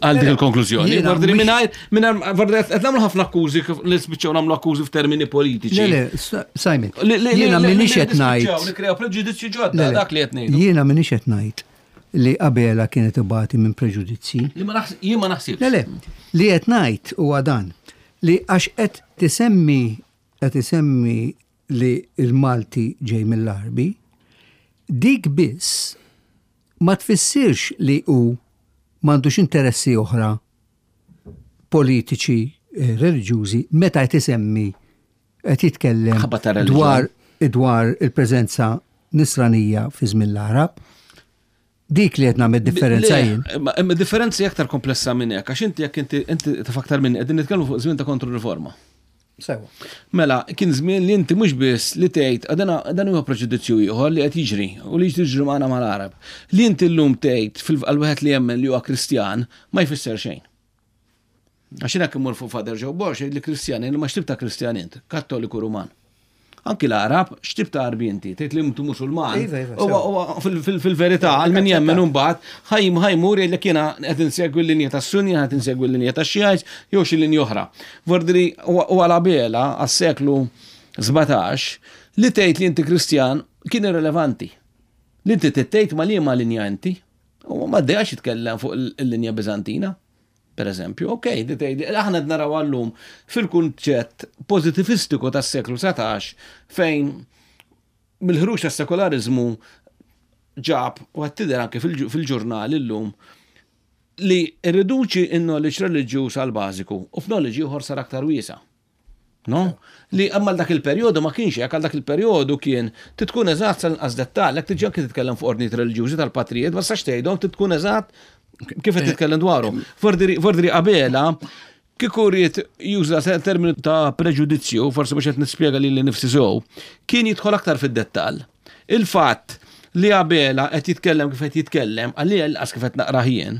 għal dik il-konklużjoni. Jiena Vordri mhux- mingħajr, mingħajr, vordri qed nagħmlu ħafna akkużi kif li spiċċaw nagħmlu akkużi f'termini politiċi. Le, le, Sa- Simon, Li- li- li- jiena li- minix li qed nispiċċaw ngħid. Nikkreaw preġudizzju Le, ġodda, le, dak li qed ngħidu. Jiena minix qed ngħid li Abela kienet ibati minn preġudizzji. Li ma naħs- jien ma naħsibx. Le, le, li qed ngħid huwa dan li għax qed tisemmi qed isemmi li il-Malti ġej mill-Arbi, dik biss ma tfissirx li hu m'għandux interessi oħra politiċi, eh, reliġjużi, meta qed isemmi qed jitkellem Ħabba ta' reliġjon. dwar dwar il-preżenza nisranija fi żmien l-Arab. Dik li qed nagħmel differenza Le, jien. Imma imma differenzi aktar komplessa minn hekk, għax inti jekk inti inti taf aktar minn qegħdin nitkellmu fuq żmien ta' kontroriforma. Sewa. Mela, kien żmien li inti mhux biss li tgħid dan dan huwa preġudizzju ieħor li qed jiġri u li jiġri magħna mal-Arab. Li inti llum tgħid fil wieħed li jemmen li huwa Kristjan ma jfisser xejn. Għax jiena immur fuq Father Joe Borg jgħid li Kristjan, ma x'tip ta' Kristjan int, Kattoliku Ruman. Anki l-Arab, x'tip ta' Arbi inti, tgħid li intu Musulman. Iva, iva, Huwa- huwa fil- fil- Fil-verità, għal min jemmen imbagħad ħajm ħajmur jgħidlek jiena qed insegwi l-linja tas-Sunni, qed insegwi l-linja tax-Xijajs, jew xi linja oħra. Vordri u għala bela għas-seklu sbatax li tgħid li inti Kristjan kien irrelevanti. Li inti tgħid ma liema linja inti. U ma ddejjax jitkellem fuq il-linja Bizantina. Per eżempju, ok, di tgħid, aħna qed naraw għallum fil-kunċett pozitivistiku tas-seklu satax fejn mill-ħruġ tas-sekolarizmu ġab u qed tidher anke fil- fil-ġurnal illum li rriduċi in-knowledge reliġjuż għal bażiku u f'knowledge ieħor sar aktar wiesa'. No? Li imma dak il-perjodu ma kienx hekk, għal dak il-perjodu kien titkun eżatt sal-inqas dettall, jekk tiġi anke titkellem fuq ordnijiet reliġjużi tal-patrijiet, ma sax tgħidhom titkun eżatt kif qed titkellem dwarhom. Vordiri vordiri Abela kieku ried juża terminu ta' preġudizzju, forsi mhux qed nispjega lili nifsi sew, kien jidħol aktar fid-dettall. Il-fatt li Abela qed jitkellem kif qed jitkellem, għalli għas kif qed naqrah jien,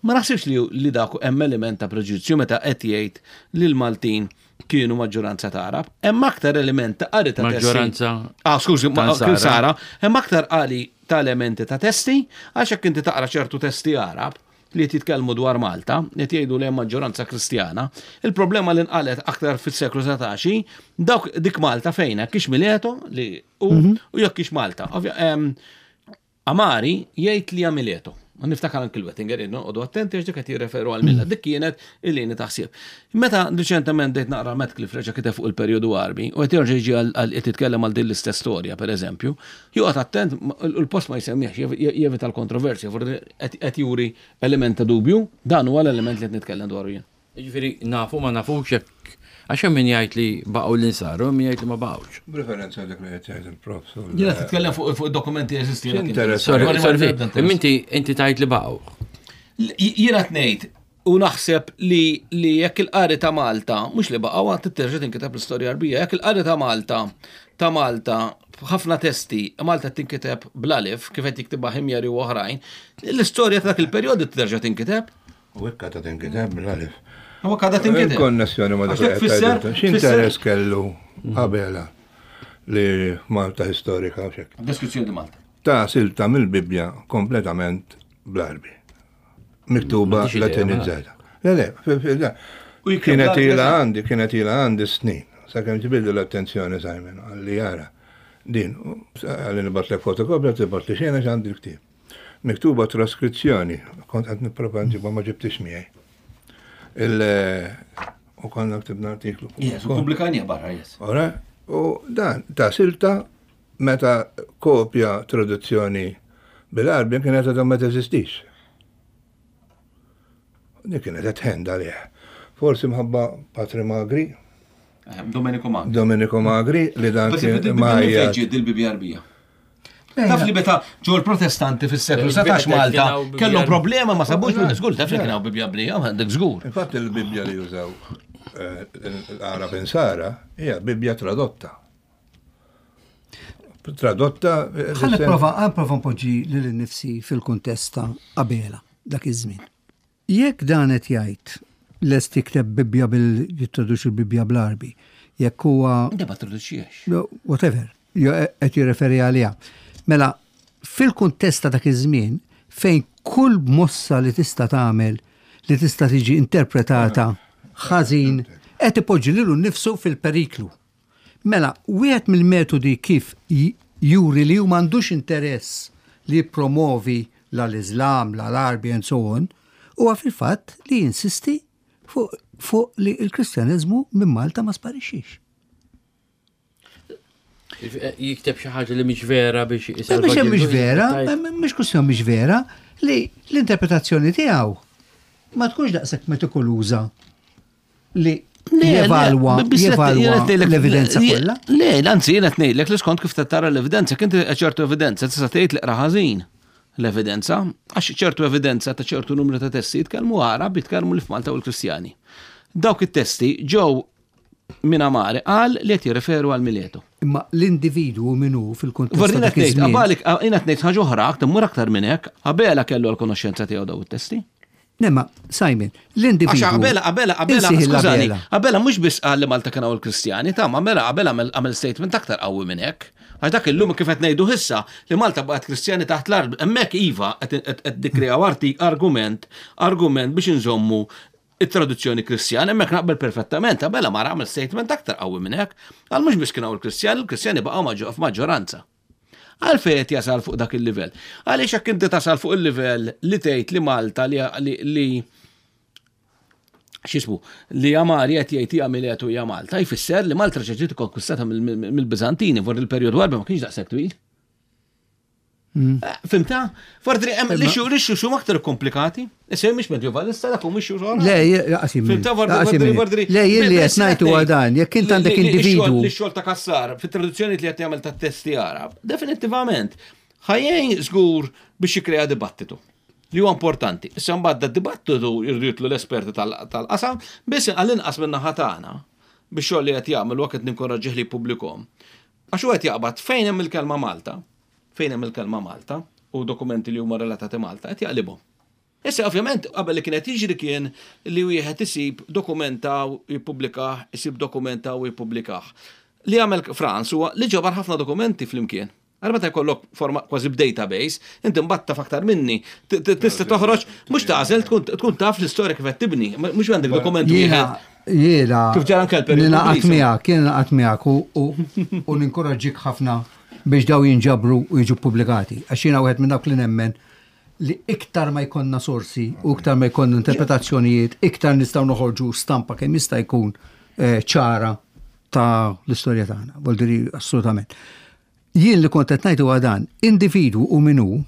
ma naħsibx li li dak hemm element ta' preġudizzju meta qed jgħid li l-Maltin kienu maġġoranza ta' Arab, hemm aktar element ta' qari ta' testi. Maġġoranza Ah, skużi, ma- ta' Sara. kien Sara, hemm aktar qari ta' elementi ta' testi, għax jekk inti taqra ċertu testi Arab li qed jitkellmu dwar Malta, li qed jgħidu li hemm maġġoranza Kristjana, il-problema li nqalet aktar fis-seklu satax, dawk dik Malta fejn hekk kiex Mileto li u u jekk kiex Malta. Ovvja, em, Amari jgħid li Mileto. Ma niftakar anki l-Wettinger, noqogħdu attenti għax dik qed jirreferu għal milla. Dik kienet il-lini taħsib. Meta riċentement dejt naqra Metcalfe reġa' kiteb fuq il-perjodu Arbi u qed jerġa' jiġi għal qed jitkellem għal din l-istess storja pereżempju, joqgħod attent il-post ma jsemmiex jevita l-kontroversja, forsi qed juri element ta' dubju, dan huwa l-element li qed nitkellem dwaru jien. Jiġifieri nafu ma nafux jekk għax hemm min jgħid li baqgħu l-insaru, min jgħid li ma baqgħux. B'referenza dak li qed jgħid il-prof. Jiena titkellem fuq fuq dokumenti jeżisti. X'interess? Sorry, Sorry, sorry, ma- imma inti inti tgħid li baqgħu. Jiena tnejt u naħseb li li jekk il-qari ta' Malta, mhux li baqgħu għad titterġa' tinkiteb l-istorja Arbija, jekk il-qari ta' Malta ta' Malta ħafna testi, Malta tinkiteb bl-alif, kif qed jiktibha Ħimjari u oħrajn, l-istorja ta' dak il-perjodu terġa' tinkiteb. U hekk ta' tinkiteb bl-alif. U hekk għadha tinkiteb. Il-konnessjoni ma dak Għax li dak qed fisser- tgħid. X'interess kellu Abela li Malta historika u xek. Deskrizzjoni di Malta. Ta' silta mill-Bibja kompletament bl-Arbi. Miktuba M'għandix idea, latinizzata. Le, le, fi- fi- le. U jikteb Kienet bl-Arbi, ila eżatt. għandi, kienet ila għandi snin. Sakemm ġibildu l-attenzjoni Simon, għalli jara. Din, għalli nibatlek fotokopja, tibat li xena għandi l-ktib. Miktuba traskrizzjoni, kont qed nipprova nġibha ma ġibtix miegħi. Il u konna ktibna artiklu. Yes, u pubblikajnieh barra, yes. Ora, u dan, ta' silta meta kopja traduzzjoni bil-Arbi kienet għadha ma teżistix. Dik kienet qed ħend għalih. Forsi mħabba Patri Magri, Eh, Domenico Magri. Domenico Magri li dan Bas kien ma ġiet il-Bibja Arbija. Taf li meta ġew il-Protestanti fis-seklu satax Malta kellhom problema ma sabux minn żgur, taf li kien hawn Bibja Arbija, għandek żgur. Infatti il-Bibja li jużaw eh, l-Arab insara hija Bibja tradotta. Tradotta. eh, Ħa nipprova, ħa nipprova npoġġi lil nifsi fil-kuntest ta' Abela dak iż-żmien. Jekk dan qed jgħid lest jikteb Bibja bil jittraduċi l-Bibja bl-Arbi, jekk huwa Inti ma traduċiex. No, whatever, jo qed jirreferi għaliha. Mela, fil-kuntest ta' dak iż-żmien fejn kull mossa li tista' tagħmel li tista' tiġi interpretata ħażin qed ipoġġi lilu nnifsu fil-periklu. Mela, wieħed mill-metodi kif j- juri li hu m'għandux interess li jippromovi la l-Islam, la l-Arbi and so on, huwa fil-fatt li jinsisti fuq fuq li l-Kristjaneżmu minn Malta ma sparixxix. Jikteb xi ħaġa li mhix vera biex Mhux hemm mhix vera, mhux kwestjoni mhix vera, li l-interpretazzjoni tiegħu ma tkunx daqshekk metikoluża li jevalwa jevalwa l-evidenza kollha. Le, anzi jiena qed ngħidlek li skont kif tara l-evidenza, kien ċertu evidenza tista' tgħid li qra ħażin l-evidenza, għax ċertu evidenza ta' ċertu numru ta' testi jitkellmu Għarab, jitkellmu li f'Malta u l-Kristjani. Dawk it-testi ġew minn Amari qal li qed jirreferu għal Mileto. Imma l-individwu minnu fil-kuntest Vorrina ta' dak tgħid, iż-żmien. qabalik jiena ngħid ħaġa oħra, aktar mur aktar minn hekk, Abela kellu l-konoxxenza tiegħu daw it-testi. Nemma, Simon, l-individwu. Għax Abela, Abela, Abela, Insiħ skużani, l-Abela. Abela mhux biss qal li Malta kienu l-Kristjani, ta' ma mela Abela għamel għamel statement aktar qawwi minn hekk. Għax dak illum kif qed ngħidu issa li Malta baqgħet Kristjani taħt l-art, hemmhekk iva qed qed nikkreaw arti argument, argument biex inżommu it-traduzzjoni Kristjana, hemmhekk naqbel perfettament, Abela ma għamel statement aktar qawwi minn hekk. Għal mhux biss kienu l-Kristjani, l-Kristjani baqgħu maġġo- f'maġġoranza. Għalfejn qed jasal fuq dak il-livell? Għaliex jekk inti tasal fuq il-livell li tgħid li Malta li li, li x'ismu, li Amari qed jgħid hija Miletu hija Malta, jfisser li Malta reġgħet ġiet ikkonkwistata mill-Biżantini for il-perjodu Għarbi ma kienx daqshekk twil. Eh, Fhimtha? Fordri hemm li xu li xu xu aktar komplikati. Issa mhix medjevalista dak mhux xu Le, jaqsim. Fhimtha Vordri Vordri. Le, jien li qed ngħid huwa dan, jekk int għandek individwu. Li xogħol ta' Cassar fit-traduzzjoni li qed jagħmel ta' testi Arab, definitivament ħajjejn żgur biex jikkrea dibattitu. Li huwa importanti. Issa mbagħad da dibattitu jridu jitlu l-esperti tal-qasam, biss għall-inqas minn naħa tagħna biex xogħol li qed jagħmel u qed ninkoraġġih li jippubblikhom. Għax huwa qed jaqbad fejn hemm il-kelma Malta, fejn hemm il-kelma Malta u dokumenti li huma relatati Malta qed jaqlibhom. Issa ovvjament qabel li kienet jiġri kien li wieħed isib dokumenta u jippubblikah, isib dokumenta u jippubblikah. Li għamel Franz huwa li ġabar ħafna dokumenti flimkien. Għal meta jkollok forma kważi b'database, inti mbagħad taf aktar minni, tista' toħroġ mhux tagħżel tkun taf l-istorja kif qed tibni, mhux għandek dokument Jiena, wieħed. jiena, Kif ġara anke l-periodu ninaqat Ingliż. miegħek, jiena naqat miegħek u- u u ninkoraġġik ħafna biex daw jinġabru u jiġu pubblikati. Għax jiena wieħed minn dawk li nemmen li iktar ma jkollna sorsi u iktar ma jkollna interpretazzjonijiet, iktar nistgħu noħorġu stampa kemm jista' jkun eh, ċara ta' l-istorja tagħna. Vuol dire assolutament. Jien li kont qed ngħid huwa dan, individwu u minu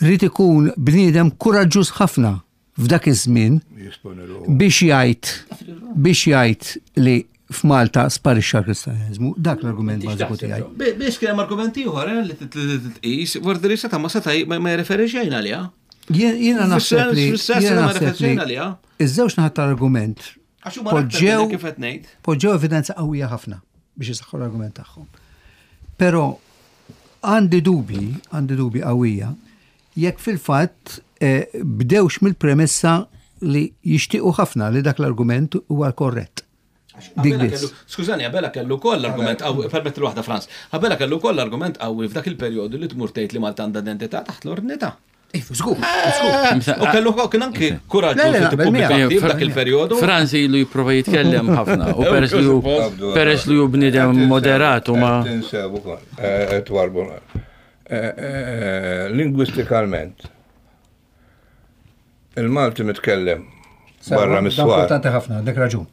rrid ikun bniedem kuraġġuż ħafna f'dak iż-żmien Jisponi ruħu. biex jgħid biex jgħid li f'Malta sparixxa l-Kristjaniżmu, dak l-argument bażiku tiegħi. Biex kien hemm argument ieħor eh, li titqis, Vordri seta' ma seta' ma jirreferi xejn għaliha. Jien- Jiena naħseb li Fis-sens jiena ma naħseb referi xejn li għaliha. iż-żewġ naħat tal-argument Għax huma aktar poġġew minn kif qed ngħid. poġġew evidenza qawwija ħafna biex jisaħħu l-argument tagħhom. Però għandi dubi, għandi dubi qawwija, jekk fil-fatt eh, bdewx mill-premessa li jixtiequ ħafna li dak l-argument huwa korrett. Dik Abela biss. kellu- Skużani, Abela kellu koll argument qawwi, permetti waħda Franz. Abela kellu koll argument qawwi f'dak il-perjodu li tmur tgħid li Malta għandha identità taħt l-ordnità. Ifu, żgur, U kellu kien anki kuraġġ Le, le, li naqbel tippubblika miegħek. ktieb f'dak il-perjodu. Franz ilu jipprova jitkellem ħafna u peress li hu peress li hu bniedem moderat u ma Tinsew ukoll, eh, twarbu. Eh, eh, Lingwistikalment, il-Malti mitkellem barra mis-swar. Importanti ħafna, dak raġun.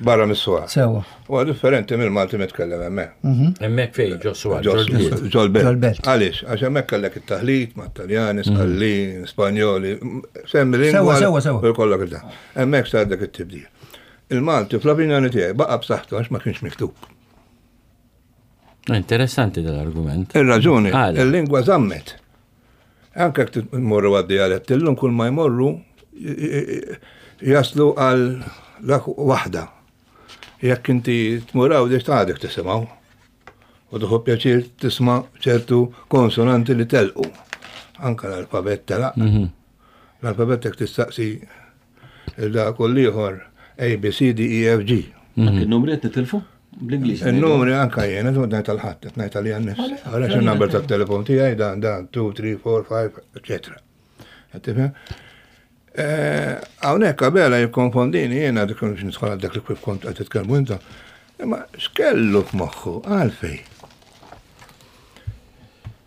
Barra mis-swar. Sewa. Huwa differenti mill-Malti mitkellem hemmhekk. hemmhekk fejn ġo swar, ġo l-bliet. Ġol-belt. Ġol-belt. Għaliex, għax hemmhekk kellek it-taħlit ma' Taljani, Sqallin, Spanjoli, semmi lingwa. Sewa, sewa, sewa. U jkollok il Hemmhekk sar dak it-tibdil. Il-Malti fl-opinjoni tiegħi baqa' b'saħħtu għax ma kienx miktub. Interessanti dal-argument. Ir-raġuni, Għala. il-lingwa żammet. Anke jekk tmorru għad-dialett, illum kull ma jmorru jaslu għal dak waħda. Jekk inti tmur għawdex ta' għadek tisimgħu. U tuħu pjaċir tisma' ċertu konsonanti li telqu. Anka l-alfabet telaq. L-alfabet jekk tistaqsi il-da kull ieħor A, B, C, D, E, F, G. Anki n-numri qed nitilfu bl-Ingliż. Il-numri anka jena, tu ngħid tal-ħadd, qed ngħid għalija nnifsi. Għalax il-number tat-telefon tiegħi dan dan two, three, four, five, eċetera. Qed tifhem? Eh, Hawnhekk Abela jikkonfondini jiena dik biex nidħol għal dak li kif kont qed titkellmu inta. Imma x'kellu f'moħħu għalfej?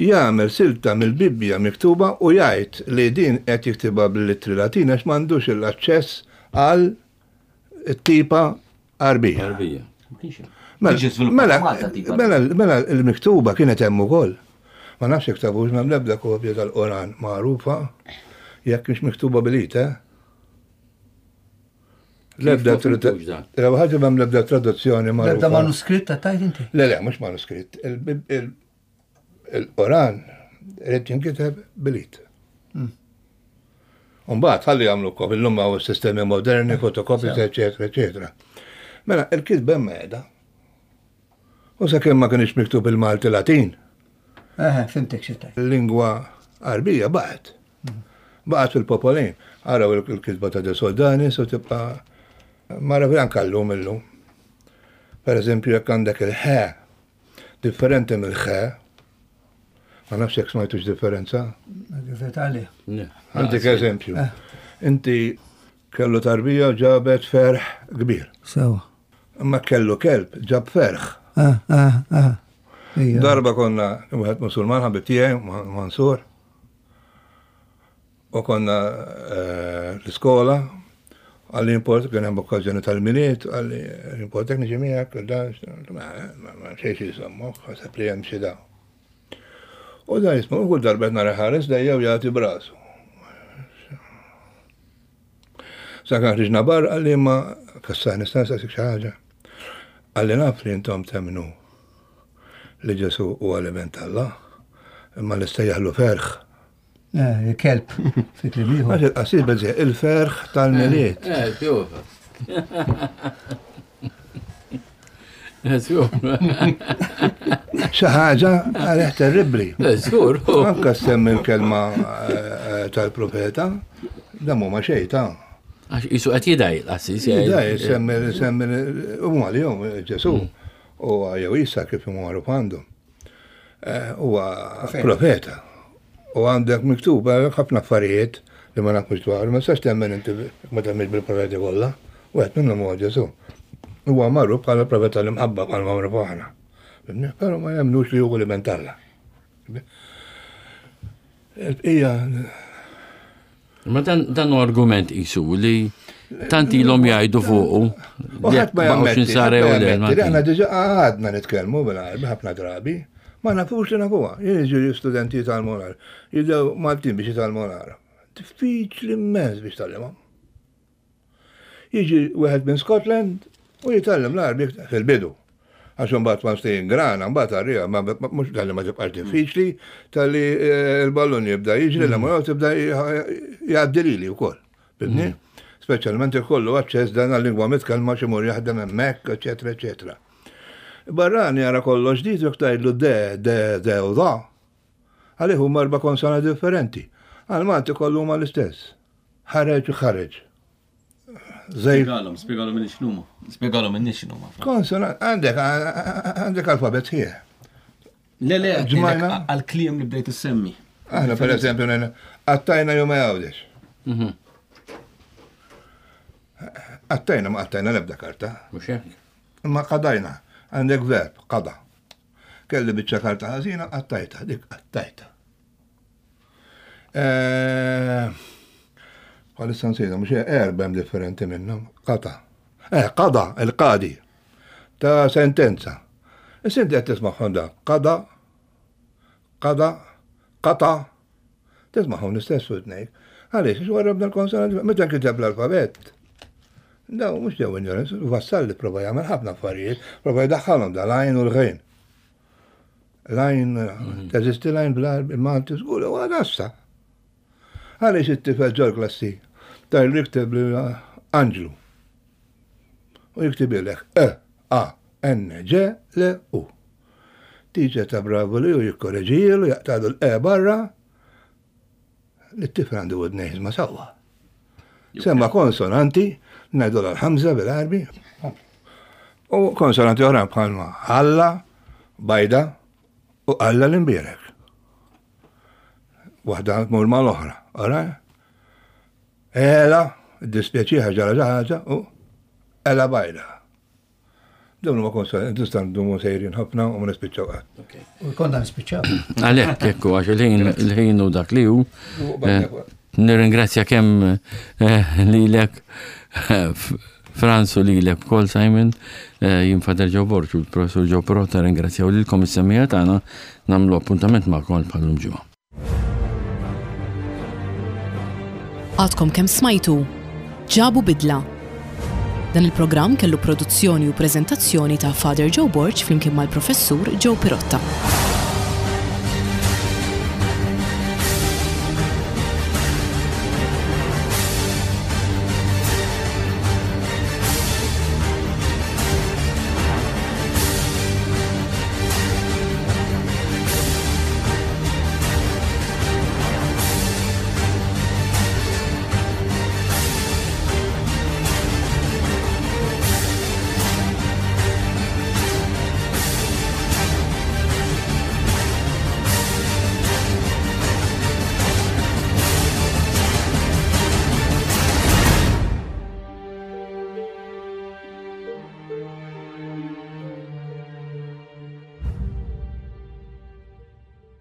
Jagħmel silta mill-Bibbja miktuba u jgħid li din qed jiktibha bil-littri Latina għax m'għandux l-aċċess għal tipa Arbija. Arbija. Mela, mela, mela l-miktuba kienet hemm ukoll. Ma nafx jekk tafux m'hemm l-ebda kopja tal-Qoran magħrufa jekk mhix miktuba bil-id, eh? L-ebda ħaġa m'hemm l-ebda traduzzjoni magħrufa. L-ebda manuskritt tajt inti? Le, le, mhux manuskritt. Il-Qoran irid jinkiteb bil-id. Umbagħad ħalli jagħmlu kopji llum hawn sistemi moderni, fotokopji, eċetera, eċetera. Mela, il-kitba hemm qiegħda. U sakemm ma kienx miktub il-Malti Latin. Eħe, fimtek xi tgħid. Il-lingwa Għarbija baqgħet. Baqgħet fil-popolin. Araw il-kitba ta' De Soldanis u tibqa' mara anke llum illum. Per eżempju, jekk għandek il-ħe, differenti mill-ħe, ma nafx jekk smajtux differenza. Għandek eżempju. Inti kellu tarbija ġabet ferħ kbir. Sewa. Imma kellu kelb ġab ferħ. Ah, ah, ah. Darba konna wieħed Musulman ħabib tiegħi Mansur. U konna l-iskola, għalli import kien hemm okkażjoni tal-Milied, għalli import niġi miegħek, dan ma xejn xi jsemmu, ħaseb li hemm xi dawn. U dan jisma' kull darba qed nara ħares dejja u jagħti brasu. Sakemm ħriġna barra għalli ma kassar nista' nsaqsik xi ħaġa. Għalli naf li intom temmnu li Ġesu huwa l-Iben t'Alla, imma li stejjaħlu ferħ. Eh, kelb, fi kliem ieħor. Għax il-qasir beżi, il-ferħ tal-Milied. Eh, tjufa. Xi ħaġa għalih terribbli. Żgur. Anke semmi l-kelma tal-profeta, dan huma xejn ta'. Għax isu qed jidaj l-qassis. Jidaj, semmi semmi huma li jom Ġesu u jew Isa kif huma magħruf għandhom. Huwa profeta. U għandek miktub ħafna affarijiet li ma nafux dwar, ma tistax temmen inti ma temmenx bil-profeti kollha. Wieħed minnhom huwa Ġesu. Huwa magħruf bħala profeta l-imħabba bħala magħruf aħna. Però ma jemmnux li hu l-Iben t'Alla. Il-bqija. Ma dan hu argument isu li tant ilhom jgħidu fuqu. U ħadd ma jammetti, li aħna diġà għadna nitkellmu bil-Għarbi ħafna drabi, ma nafux li nafuha. Jien jiġu studenti jitgħallmu l-Għarbi, jibdew Maltin biex jitgħallmu l-Għarab. Diffiċli immens biex tgħallimhom. Jiġi wieħed minn Scotland u jitgħallem l-Għarbi fil-bidu. Għax imbagħad ma stejn grana, mbagħad arrija, mhux talli ma tibqax diffiċli, talli l-ballun jibda jiġri, l ma tibda jgħaddi lili wkoll. Fimni? Speċjalment ikollu aċċess dan għal-lingwa mitkellma xi mur jaħdem hemmhekk, eċetera, eċetera. Barrani jara kollox ġdid jekk tgħidlu de, de, de u da. Għalih huma erba' konsonanti differenti. Għal Malti kollu huma l-istess. Ħareġ u ħareġ. Spjegalhom, spjegalhom minni x'numa. Spjegalhom minni x'numa. Konsonant, għandek, għandek alfabet ħieħ. Le, le, għal-kliem li bdejt issemmi. Aħna, per eżempju, għattajna jew ma jgħawdex. Għattajna ma għattajna l-ebda karta. Mhux hekk. Imma qadajna, għandek verb, qada. Kelli biċċa karta ħażina, għattajta, dik għattajta. Bħalissa nsejna, mhux erba' hemm differenti minnhom. Qata. Eh, qada, il-qadi. Ta' sentenza. Issa inti qed tismagħhom da. Qada, qada, qata. Tismagħhom l-istess fuq tnejn. Għaliex, għax warrabna l-konsonanti, meta nkiteb l-alfabet. Daw mhux ġew ignoranza, Vassalli prova jagħmel ħafna affarijiet, prova jdaħħalhom da l-għajn u l-ghejn. L-għajn, teżisti l-għajn bl-Malti żgur, u għadassa. Għaliex it-tifel ġol klassi tajlu jikteb li Anġlu. U jiktibilek E, A, N, G, L, U. Tiġe ta' bravu li u jikkoreġilu, jaqtadu l-E barra, li t-tifel għandu għodnej ma sewwa. Semma konsonanti, ngħidu l-ħamża bil-Għarbi, u konsonanti oħra bħalma Alla, Bajda u Alla l-imbierek. Waħda tmur mal-oħra, ora? Ela, dispjaċiha ġara ħaġa u Ela Bajda. Dawn huma konsonanti, tista' ndumu sejrin ħafna u ma nispiċċaw qatt. U konna nispiċċaw. Għalhekk hekk għax il-ħin u dak li hu. Nirringrazzja kemm lilek Franz u lilek ukoll Simon, eh, jien Father Joe Borg u l-Professur Joe Pirotta ringrazzjaw lilkom is-semmiegħa tagħna nagħmlu appuntament magħkom bħal-lum ġimgħa. Għadkom kemm smajtu Ġabu Bidla. Dan il-programm kellu produzzjoni u preżentazzjoni ta' Father Joe Borg flimkien mal-Professur Joe Pirotta.